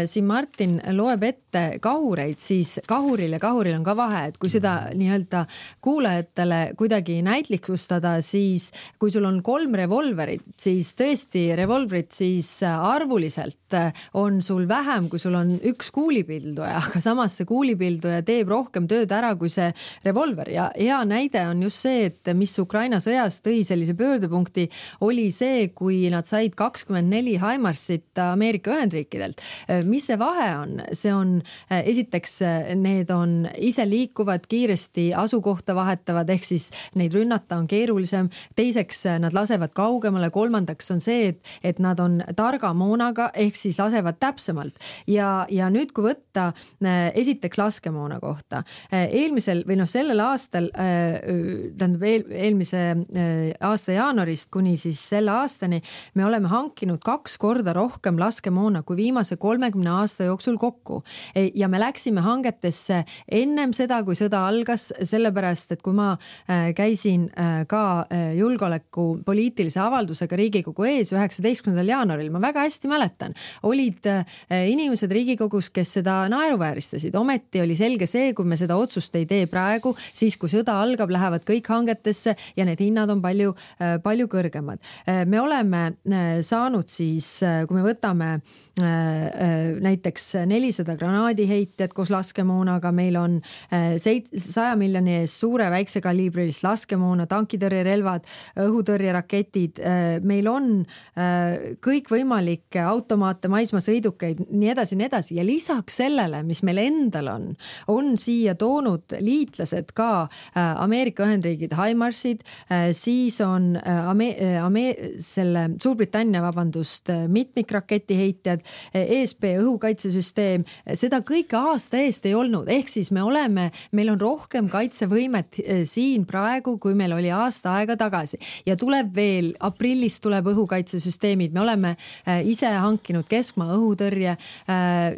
siin Martin loeb ette kahureid, siis kahuril on ka vahe, et kui seda nii-öelda kuulajatele kuidagi näitlikustada, siis kui sul on 3 revolverit, siis tõesti revolverit siis arvuliselt on sul vähem, kui sul on 1 kuulipilduja, aga samas see kuulipilduja teeb rohkem tööd ära kui see revolver ja hea näide on just see, et mis Ukraina sõjas tõi sellise pöördepunkti, oli see, kui nad said 24 Haimarsit Ameerika Ühendriikidelt. Mis see vahe on? See on, esiteks, need on ise liikuvad, kiiresti asukohta vahetavad, ehk siis neid rünnata on keerulisem. Teiseks, nad lasevad kaugemale. Kolmandaks on see, et nad on targa moonaga, ehk siis lasevad täpsemalt. Ja nüüd, kui võtta esiteks laskemoona kohta. Eelmisel või sellel aastal, eelmise aasta jaanuarist kuni siis selle aastani, me oleme hankinud 2 korda rohkem laskemoona kui viimase 30 aasta jooksul kokku. Ja me läksime hangetesse ennem seda, kui sõda algas, sellepärast, et kui ma käisin ka julgeoleku poliitilise avaldusega Riigikogu ees 19. jaanuaril, ma väga hästi mäletan, olid inimesed Riigikogus, kes seda naeruvääristasid. Ometi oli selge see, kui me seda otsust ei tee praegu, siis kui sõda algab, lähevad kõik hangetesse ja need hinnad on palju kõrgemad. Me oleme saanud siis kui me võtame näiteks 400 granaadiheitjat koos laskemoonaga, meil on 100 miljoni eest suure väikse kaliibrilist laskemoona, tankitõrjerelvad, õhutõrjeraketid, meil on kõikvõimalikke automaate, maismaasõidukeid, nii edasi ja lisaks sellele, mis meil endal on siia toonud liitlased ka Ameerika Ühendriigid HIMARSid, siis on Suurbritannia, mitmikraketiheitjad, ESP õhukaitsesüsteem, seda kõike aasta eest ei olnud, ehk siis meil on rohkem kaitsevõimet siin praegu, kui meil oli aasta aega tagasi ja tuleb veel, aprillis tuleb õhukaitsesüsteemid, me oleme ise hankinud keskmaa õhutõrje,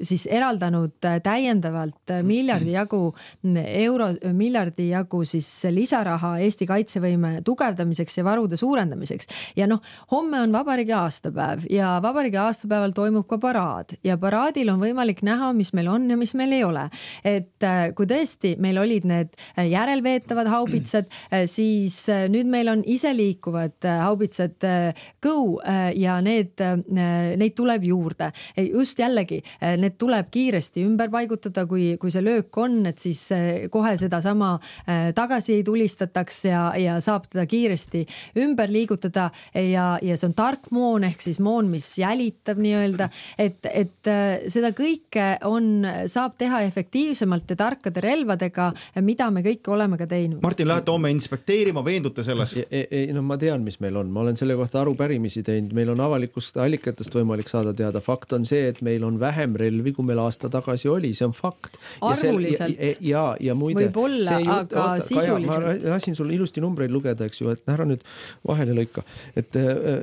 siis eraldanud täiendavalt miljardi jagu siis lisaraha Eesti kaitsevõime tugevdamiseks ja varude suurendamiseks. Ja homme on vabariigi aastapäev ja vabariigi aastapäeval toimub ka paraad ja paraadil on võimalik näha, mis meil on ja mis meil ei ole. Et kui tõesti meil olid need järelveetavad haubitsad, siis nüüd meil on iseliikuvad haubitsad Go ja neid tuleb juurde. Just jällegi, need tuleb kiiresti ümber paigutada, kui see löök on, et siis kohe seda sama tagasi ei tulistataks ja saab teda kiiresti ümber liigutada ja see on tark moon ehk siis moon, mis jälitab nii-öelda, et seda kõike saab teha efektiivsemalt ja tarkade relvadega, mida me kõike oleme ka teinud. Martin, lähete homme inspekteerima, veendute selles? Ma tean, mis meil on. Ma olen selle kohta arupärimisi teinud. Meil on avalikust allikatest võimalik saada teada. Fakt on see, et meil on vähem relvi, kui meil aasta tagasi oli. See on fakt. Arvuliselt. Ja muide, võib-olla, aga sisuliselt. Ma lasin sul ilusti numbreid lugeda, eks ju, et ära nüüd vahele lõika. Et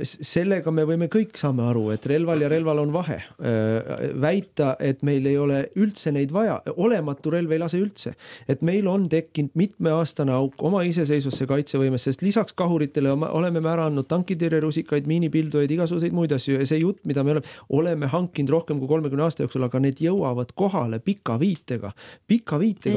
sellega me võime kõik saame aru, et relval ja relval on vahe. Väita, et meil ei ole üldse neid vaja, olematu relv ei lase üldse. Et meil on tekkinud mitmeaastane auk oma iseseisvusse kaitsevõimes, sest lisaks kahuritele oleme me ära andnud tankitõrjerusikaid, miinipildujaid, igasuguseid muid asju ja see jutt, mida me oleme hankinud rohkem kui 30 aasta jooksul, aga need jõuavad kohale pika viitega.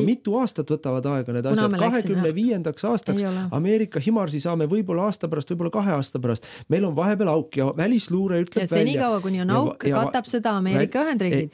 Mitu aastat võtavad aega need asjad. 25. aastaks Ameerika HIMARSi saame võib-olla aasta pärast, võib-olla 2 aasta pärast. Meil on vahepeal auk ja välisluure ütleb ja senikaua, kuni on auk, katab seda Ameerika Ühendriigid,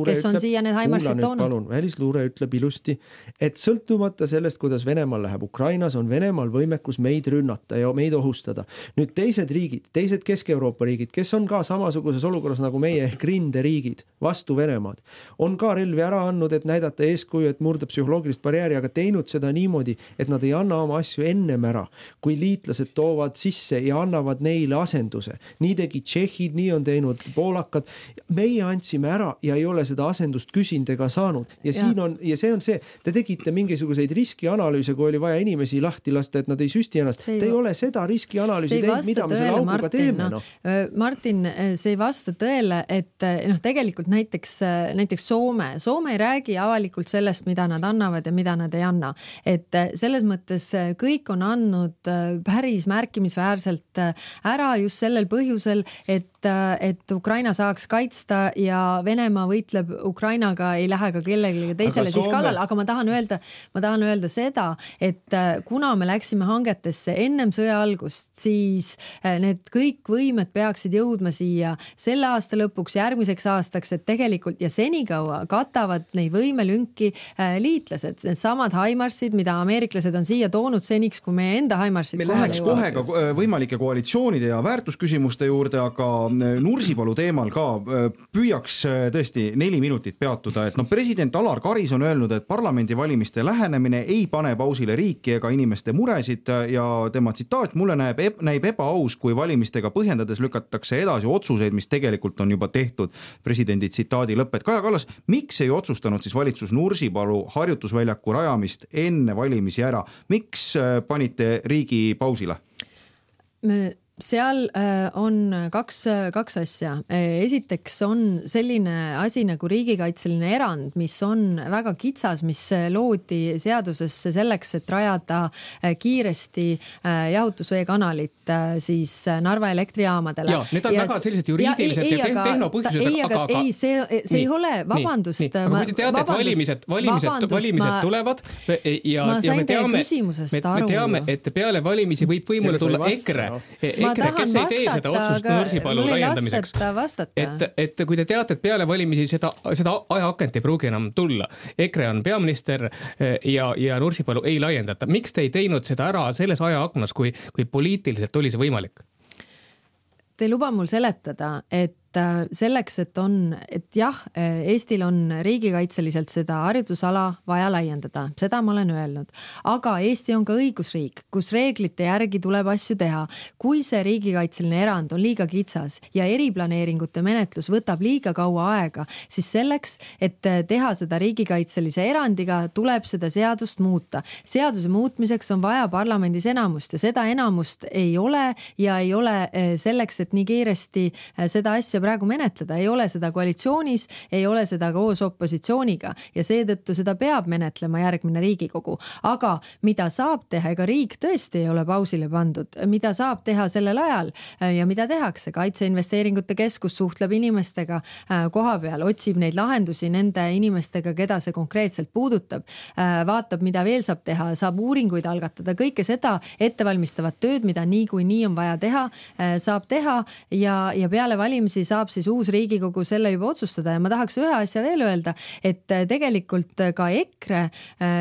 kes on siia need HIMARSid toonud. Välisluure ütleb ilusti, et sõltumata sellest, kuidas Venemaal läheb Ukrainas, on Venemaal võimekus meid rünnata ja meid ohustada. Nüüd teised riigid, teised Kesk-Euroopa riigid, kes on ka samasuguses olukorras nagu meie ehk rinderiigid vastu Venemaad, on ka relvi ära andnud, et näidata eeskuju, et murda psühholoogilist barjääri, aga teinud seda niimoodi, et nad ei anna oma asju ennem ära, kui liitlased toovad sisse ja annavad neile asenduse. Nii tegi Tšehhid, nii on teinud poolakad. Meie andsime ära ja ei ole seda asendust küsinud ega saanud. Ja see on see, te tegite mingisuguseid riskianalüüse, kui oli vaja inimesi lahti lasta, et nad ei süsti ennast. Te ei ole seda riskianalüüsi teinud, mida me selle auguga teeme. Martin, see ei vasta tõele, et tegelikult näiteks Soome ei räägi avalikult sellest, mida nad annavad ja mida nad ei anna. Et selles mõttes kõik on andnud päris märkimisväärselt ära just sellel põhjusel, et Ukraina saaks kaitsta ja Venemaa võitleb Ukrainaga, ei lähe ka kellelegi teisele siis kallal, aga ma tahan öelda seda, et kuna me läksime hangetesse ennem sõja algust, siis need kõik võimed peaksid jõudma siia selle aasta lõpuks, järgmiseks aastaks, et tegelikult ja senikaua katavad neid võimelünki liitlased, need samad HIMARSid, mida ameeriklased on siia toonud seniks, kui meie enda HIMARSid me läheks kohe ka võimalike koalitsioonide ja väärtusküsimuste juurde, aga Nursipalu teemal ka püüaks tõesti 4 minutit peatuda, et president Alar Karis on öelnud, et parlamendivalimiste lähenemine ei pane pausile riiki ega inimeste muresid ja tema tsitaat, mulle näib ebaaus, kui valimistega põhjendades lükatakse edasi otsuseid, mis tegelikult on juba tehtud. Presidendi tsitaadi lõpp, et Kaja Kallas, miks ei otsustanud siis valitsus Nursipalu harjutusväljaku rajamist enne valimisi ära? Miks panite riigi pausile? Seal on kaks asja. Esiteks on selline asi nagu riigikaitseline erand, mis on väga kitsas, mis loodi seadusesse selleks, et rajada kiiresti jahutusveekanalit siis Narva elektrijaamadele. Ja, need on väga sellised juriidilised ja tehnopõhjused. Ei, see ei ole, vabandust. Aga kui te teate, et valimised tulevad ja me teame, et peale valimisi võib võimule tulla EKRE. EKRE, kes ei tee seda otsust Nursipalu laiendamiseks. Et kui te teate, et peale valimisi seda ajaakent ei pruugi enam tulla, EKRE on peaminister ja Nursipalu ei laiendata. Miks te ei teinud seda ära selles ajaaknas, kui poliitiliselt oli see võimalik? Te ei luba mul seletada, et selleks, et jah, Eestil on riigikaitseliselt seda harjutusala vaja laiendada, seda ma olen öelnud, aga Eesti on ka õigusriik, kus reeglite järgi tuleb asju teha. Kui see riigikaitseline erand on liiga kitsas ja eriplaneeringute menetlus võtab liiga kaua aega, siis selleks, et teha seda riigikaitselise erandiga, tuleb seda seadust muuta. Seaduse muutmiseks on vaja parlamendis enamust ja seda enamust ei ole ja ei ole selleks, et nii kiiresti seda asja praegu menetleda, ei ole seda koalitsioonis, ei ole seda koos opositsiooniga ja seetõttu seda peab menetlema järgmine Riigikogu. Aga mida saab teha, ega riik tõesti ei ole pausile pandud, mida saab teha sellel ajal ja mida tehakse? Kaitseinvesteeringute keskus suhtleb inimestega koha peal, otsib neid lahendusi nende inimestega, keda see konkreetselt puudutab, vaatab, mida veel saab teha, saab uuringuid algatada, kõike seda ettevalmistavat tööd, mida nii on vaja teha, saab teha ja peale valimisi saab siis uus Riigikogu selle juba otsustada ja ma tahaks ühe asja veel öelda, et tegelikult ka EKRE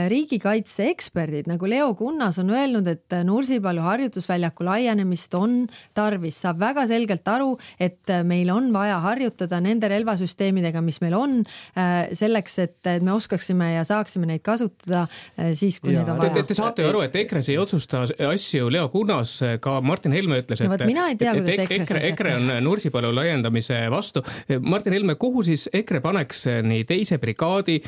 riigikaitse eksperdid nagu Leo Kunnas on öelnud, et Nursipalu harjutusväljaku laienemist on tarvis. Saab väga selgelt aru, et meil on vaja harjutada nende relvasüsteemidega, mis meil on, selleks, et me oskaksime ja saaksime neid kasutada siis, kui need on vaja. Te saate ju aru, et EKRE ei otsusta asju. Leo Kunnas, ka Martin Helme ütles, et EKRE on Nursipalu laiendamise vastu. Martin Helme, kuhu siis EKRE paneks nii teise brigaadi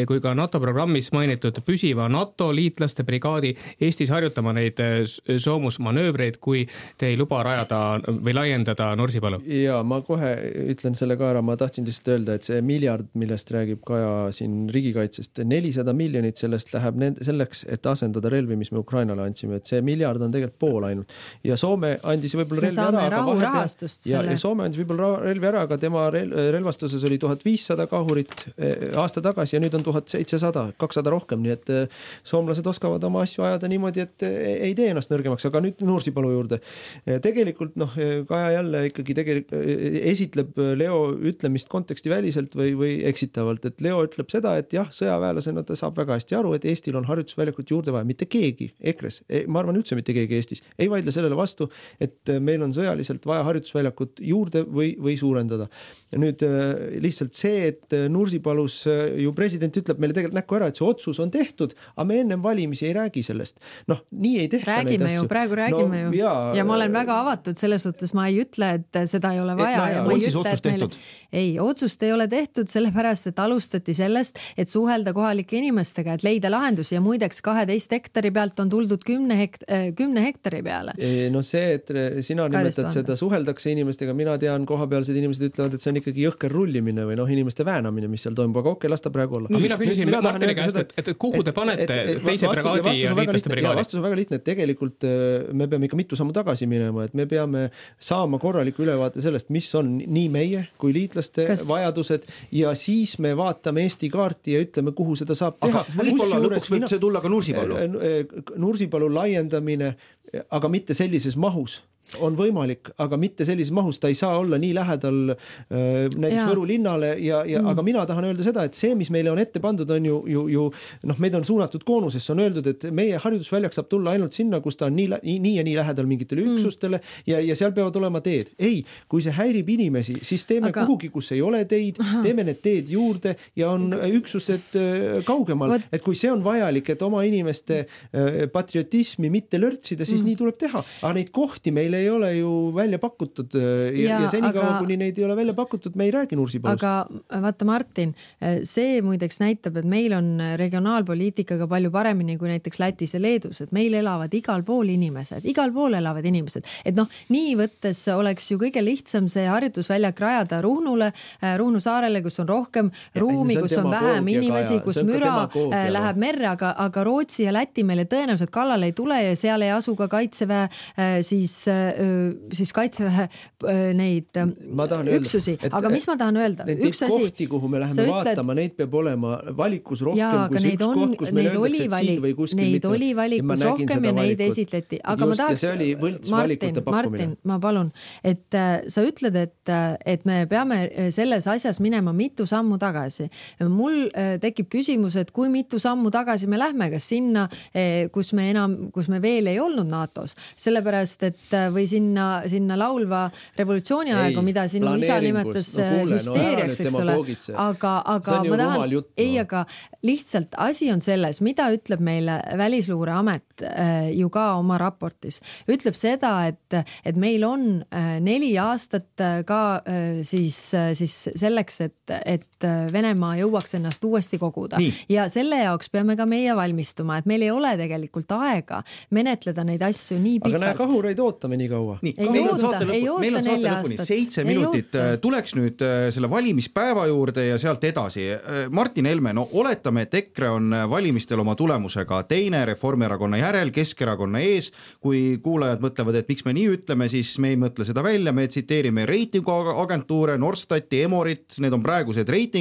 kui ka NATO programmis mainitud püsiva NATO liitlaste brigaadi Eestis harjutama neid soomusmanöövreid, kui te ei luba rajada või laiendada Nursipalu? Ja ma kohe ütlen selle ka ära, ma tahtsin lihtsalt öelda, et see miljard, millest räägib Kaja siin riigikaitsest, 400 miljonit sellest läheb selleks, et asendada relvi, mis me Ukrainale andsime, et see miljard on tegelikult pool ainult. Ja Soome andis võib-olla relvi ära, ja Soome andis võib-olla relvi ära, aga tema relvastuses oli 1500 kahurit aasta tagasi ja nüüd on 1700, 200 rohkem, nii et soomlased oskavad oma asju ajada niimoodi, et ei tee ennast nõrgemaks, aga nüüd Nursipalu juurde. Tegelikult Kaja jälle ikkagi esitleb Leo ütlemist konteksti väliselt või eksitavalt, et Leo ütleb seda, et jah, sõjaväelasena ta saab väga hästi aru, et Eestil on harjutusväljakut juurde vaja, mitte keegi EKRE-s, ma arvan üldse mitte keegi Eestis, ei vaidle sellele vastu, et meil on sõjaliselt vaja harjutusväljakut juurde või suurendada. Ja nüüd lihtsalt see, et Nursipalus ju president ütleb meile tegelikult näkku ära, et see otsus on tehtud, aga me ennem valimisi ei räägi sellest. Nii ei tehta räägime neid asju. Praegu räägime ju. Ja ma olen väga avatud selles suhtes, ma ei ütle, et seda ei ole vaja. Ja ma ei ütle, et meile... Ei, otsust ei ole tehtud sellepärast, et alustati sellest, et suhelda kohalike inimestega, et leida lahendusi ja muideks 12 hektari pealt on tuldud 10 hektari peale. No see, et sina nimetad seda suheldakse inimestega, mina tean, kohapealsed inimesed ütlevad, et see on ikkagi jõhker rullimine või inimeste väänamine, mis seal toimub, aga okei, lasta praegu olla. Mina küsisin Martini käest, et kuhu te panete teise brigaadi ja liitlaste brigaadi? Vastus on väga lihtne, et tegelikult me peame ikka mitu sammu tagasi minema, et me peame saama korraliku ülevaate sellest, mis on nii meie kui liitlaste vajadused ja siis me vaatame Eesti kaarti ja ütleme, kuhu seda saab teha. Aga võib-olla lõpuks võib see tulla ka Nursipalu? Nursipalu laiendamine, aga mitte sellises mahus on võimalik, aga mitte sellises mahus, ta ei saa olla nii lähedal näiteks Võru linnale aga mina tahan öelda seda, et see, mis meile on ette pandud, on ju meid on suunatud koonusesse, on öeldud, et meie harjutusväljak saab tulla ainult sinna, kus ta on nii ja nii lähedal mingitele üksustele ja seal peavad olema teed. Ei, kui see häirib inimesi, siis teeme kuhugi, kus ei ole teid, teeme need teed juurde ja on üksused kaugemal, et kui see on vajalik, et oma inimeste patriotismi mitte lörtsida, siis nii tuleb teha, aga neid kohti meil ei ole ju välja pakutud ja senikaua, kuni neid ei ole välja pakutud, me ei räägi Nursipalust. Aga vaata Martin, see muideks näitab, et meil on regionaalpoliitikaga palju paremini kui näiteks Lätis ja Leedus, et meil elavad igal pool inimesed, et nii võttes oleks ju kõige lihtsam see harjutusväljak rajada Ruhnu saarele, kus on rohkem ruumi, kus on vähem inimesi, kus müra läheb merre, aga Rootsi ja Läti meile tõenäoliselt kallale ei tule ja seal ei asu ka kaitseväe siis siis kaitseväe neid üksusi, aga mis ma tahan öelda? Üks asi, kohti, kuhu me läheme vaatama, neid peab olema valikus rohkem kui see üks koht, kus meil öeldakse, et siin või kuskil neid oli valikus rohkem ja neid esitleti. Aga ma tahaks, Martin, ma palun, et sa ütled, et me peame selles asjas minema mitu sammu tagasi. Mul tekib küsimus, et kui mitu sammu tagasi me lähme, kas sinna, kus me veel ei olnud NATO-s, sellepärast, et või sinna laulva revolutsiooni aegu, mida sinu isa nimetas hüsteeriaks, eks ole. Aga ma tahan, aga lihtsalt asi on selles, mida ütleb meile Välisluureamet ju ka oma raportis. Ütleb seda, et meil on 4 aastat ka siis selleks, et Venemaa jõuaks ennast uuesti koguda. Ja selle jaoks peame ka meie valmistuma, et meil ei ole tegelikult aega menetleda neid asju nii pikalt. Aga näe, kahureid ootame nii kaua. Ei oota 4 aastat. 7 minutit. Tuleks nüüd selle valimispäeva juurde ja sealt edasi. Martin Helme, no oletame, et EKRE on valimistel oma tulemusega teine, Reformierakonna järel, Keskerakonna ees. Kui kuulajad mõtlevad, et miks me nii ütleme, siis me ei mõtle seda välja. Me tsiteerime reitinguagentuure, Norstati, Emorit, need on praegused reitingud.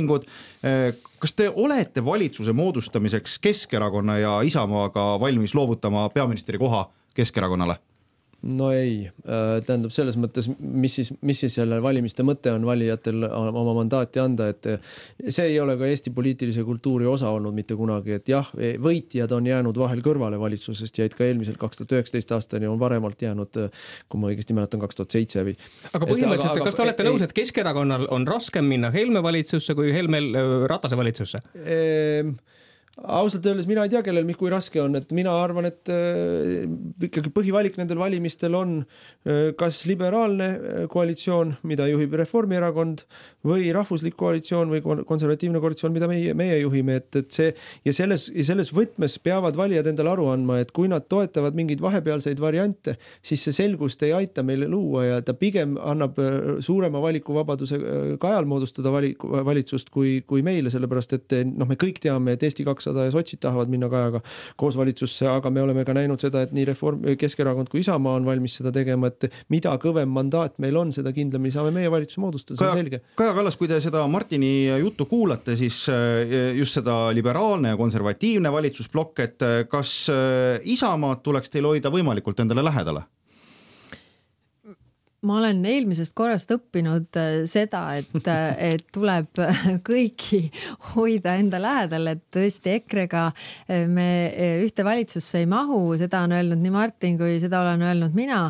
Kas te olete valitsuse moodustamiseks Keskerakonna ja Isamaaga valmis loovutama peaministri koha Keskerakonnale? No ei, tähendab selles mõttes, mis siis selle valimiste mõte on valijatel oma mandaati anda, et see ei ole ka Eesti poliitilise kultuuri osa olnud mitte kunagi, et jah, võitjad on jäänud vahel kõrvale valitsusest, jäid ka eelmisel 2019 aastani on varemalt jäänud, kui ma õigesti mäletan, 2007 või. Aga põhimõtteliselt, kas te olete nõus, et Keskerakonnal on raskem minna Helme valitsusse kui Helmel Ratase valitsusse? Ausalt öeldes mina ei tea, kellel kui raske on, et mina arvan, et ikkagi põhivalik nendel valimistel on kas liberaalne koalitsioon, mida juhib Reformierakond, või rahvuslik koalitsioon või konservatiivne koalitsioon, mida meie juhime, et see ja selles võtmes peavad valijad endale aru andma, et kui nad toetavad mingeid vahepealseid variante, siis see selgust ei aita meile luua ja ta pigem annab suurema valikuvabaduse Kajal moodustada valitsust kui meile, sellepärast et me kõik teame, et Eesti 200 ja sotsid tahavad minna Kajaga koos valitsusse, aga me oleme ka näinud seda, et nii Keskerakond kui Isamaa on valmis seda tegema, et mida kõvem mandaat meil on, seda kindlamini saame meie valitsuse moodustada, see on selge. Kaja Kallas, kui te seda Martini juttu kuulate, siis just seda liberaalne ja konservatiivne valitsusblokk, et kas Isamaad tuleks teil hoida võimalikult endale lähedale? Ma olen eelmisest korrast õppinud seda, et tuleb kõiki hoida enda lähedal, et tõesti EKRE-ga me ühte valitsusse ei mahu, seda on öelnud nii Martin kui seda olen öelnud mina,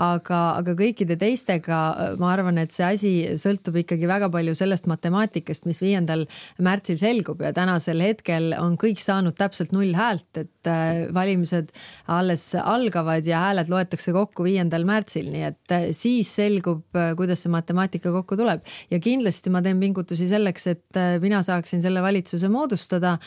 aga kõikide teistega ma arvan, et see asi sõltub ikkagi väga palju sellest matemaatikast, mis 5. märtsil selgub ja tänasel hetkel on kõik saanud täpselt 0 häält, et valimised alles algavad ja hääled loetakse kokku 5. märtsil, nii et siis selgub, kuidas see matemaatika kokku tuleb. Ja kindlasti ma teen pingutusi selleks, et mina saaksin selle valitsuse moodustada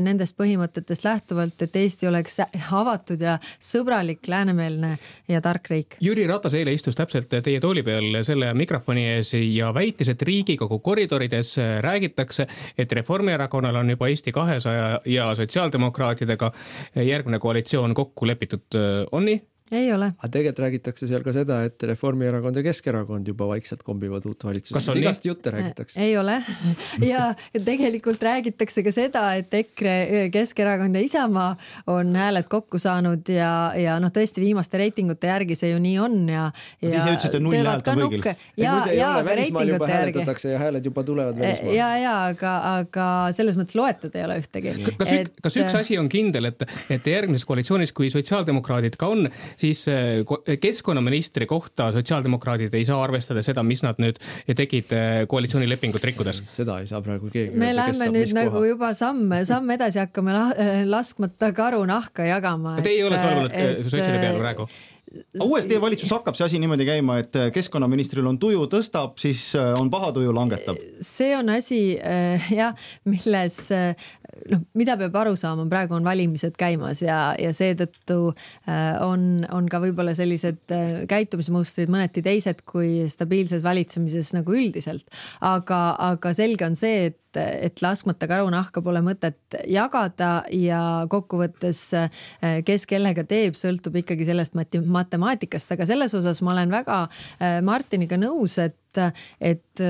nendest põhimõtetest lähtuvalt, et Eesti oleks avatud ja sõbralik, läänemeelne ja tark riik. Jüri Ratas eile istus täpselt teie tooli peal selle mikrofoni ees ja väitis, et Riigikogu koridorides räägitakse, et Reformierakonnal on juba Eesti 200 ja sotsiaaldemokraatidega järgmine koalitsioon kokku lepitud. On nii? Ei ole. Aga tegelikult räägitakse seal ka seda, et Reformierakond ja Keskerakond juba vaikselt kombivad uut valitsust. Igast jutte räägitakse. Ei ole. Ja tegelikult räägitakse ka seda, et EKRE, Keskerakond ja Isamaa on hääled kokku saanud ja tõesti viimaste reitingute järgi see ju nii on. Ja ise ütlesite 0 häält on kõigil. Ja välismaal juba hääletatakse ja hääled juba tulevad välismaal. Ja, aga selles mõttes loetud ei ole ühtegi. Kas üks asi on kindel, et järgmises koalitsioonis, kui sotsiaaldemokraadid ka on, siis keskkonnaministri kohta sotsiaaldemokraadid ei saa arvestada seda, mis nad nüüd tegid koalitsioonilepingut rikkudes. Seda ei saa praegu keegi. Me lähme nüüd nagu juba samm edasi hakkame laskmata karu nahka jagama. Te ei ole solvunud sotside peale praegu? Uuesti valitsus hakkab see asi niimoodi käima, et keskkonnaministril on tuju tõstab, siis on paha tuju langetab. See on asi, milles mida peab aru saama, praegu on valimised käimas ja seetõttu on ka võib-olla sellised käitumismustrid mõneti teised kui stabiilses valitsemises nagu üldiselt. Aga selge on see, et laskmata karunahka pole mõtet jagada ja kokkuvõttes kes kellega teeb, sõltub ikkagi sellest matemaatikast, aga selles osas ma olen väga Martiniga nõus, et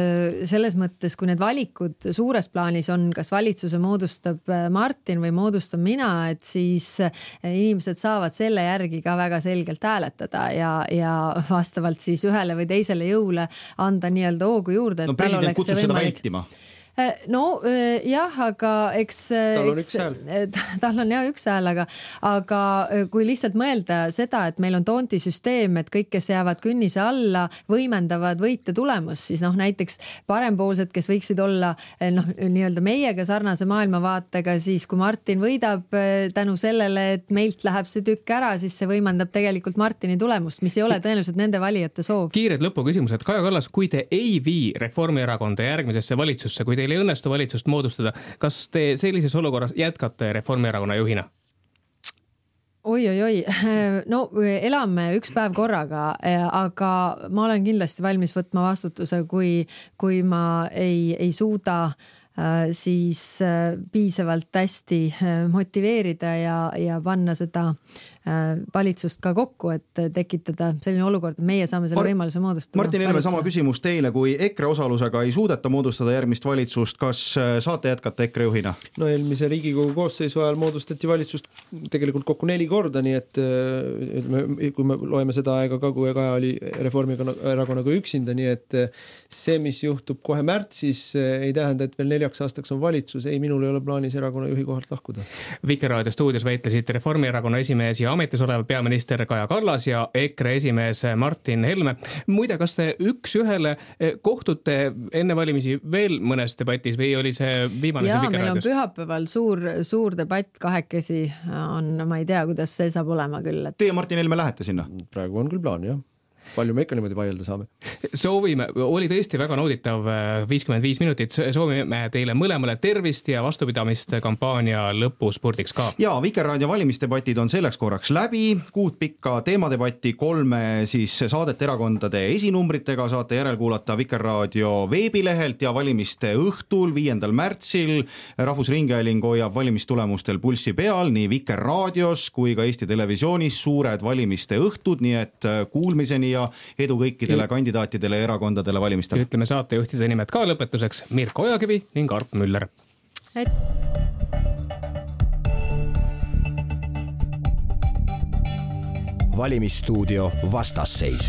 selles mõttes, kui need valikud suures plaanis on, kas valitsuse moodustab Martin või moodustab mina, et siis inimesed saavad selle järgi ka väga selgelt hääletada ja vastavalt siis ühele või teisele jõule anda nii-öelda hoogu juurde. No president kutsus seda vältima. No jah, aga tal on üks hääl, aga kui lihtsalt mõelda seda, et meil on toontisüsteem, et kõik, kes jäävad künnise alla, võimendavad võite tulemust, siis näiteks parempoolsed, kes võiksid olla nii-öelda meiega sarnase maailmavaatega, siis kui Martin võidab tänu sellele, et meilt läheb see tükk ära, siis see võimendab tegelikult Martini tulemust, mis ei ole tõenäoliselt nende valijate soov. Kiired lõpuküsimused. Kaja Kallas, kui te ei vii Reformierakonda järgmisesse valitsusse, kui teil ei õnnestu valitsust moodustada, kas te sellises olukorras jätkate Reformierakonna juhina? Oi. No elame üks päev korraga, aga ma olen kindlasti valmis võtma vastutuse, kui ma ei suuda siis piisavalt hästi motiveerida ja panna seda valitsust ka kokku, et tekitada selline olukord, et meie saame selle võimaluse moodustada. Martin Helme, sama küsimus teile, kui EKRE osalusega ei suudeta moodustada järgmist valitsust, kas saate jätkata EKRE juhina? No eelmise Riigikogu koosseisu ajal moodustati valitsust tegelikult kokku 4 korda, nii et kui me loeme seda aega ka, kui Kaja oli Reformierakonnaga üksinda, nii et see, mis juhtub kohe märtsis, ei tähenda, et veel 4 aastaks on valitsus. Ei, minul ei ole plaanis erakonna juhi kohalt lahkuda. Vikerraadio stuudios väitlesid Reformierakonna esimees ja ametis olev peaminister Kaja Kallas ja EKRE esimees Martin Helme. Muide, kas te üks ühele kohtute enne valimisi veel mõnes debatis või oli see viimane ja, siin Vikerraadios? Meil on pühapäeval suur debatt kahekesi on, ma ei tea, kuidas see saab olema küll. Teie Martin Helme lähete sinna? Praegu on küll plaan, jah. Palju me ikka niimoodi vaielda saame. Soovime, oli tõesti väga nauditav 55 minutit. Soovime teile mõlemale tervist ja vastupidamist kampaania lõpuspurdiks ka. Ja Vikerraadio valimisdebatid on selleks korraks läbi. 6 pikka teemadebatti, 3 siis saadet erakondade esinumbritega saate järelkuulata Vikerraadio veebilehelt ja valimiste õhtul 5. märtsil Rahvusringhääling hoiab valimistulemustel pulssi peal nii Vikerraadios kui ka Eesti Televisioonis suured valimiste õhtud, nii et kuulmiseni ja edu kõikidele kandidaatidele ja erakondadele valimistel. Ütleme saatejuhtide nimed ka lõpetuseks. Mirko Ojakivi ning Arp Müller. Valimisstuudio vastasseis.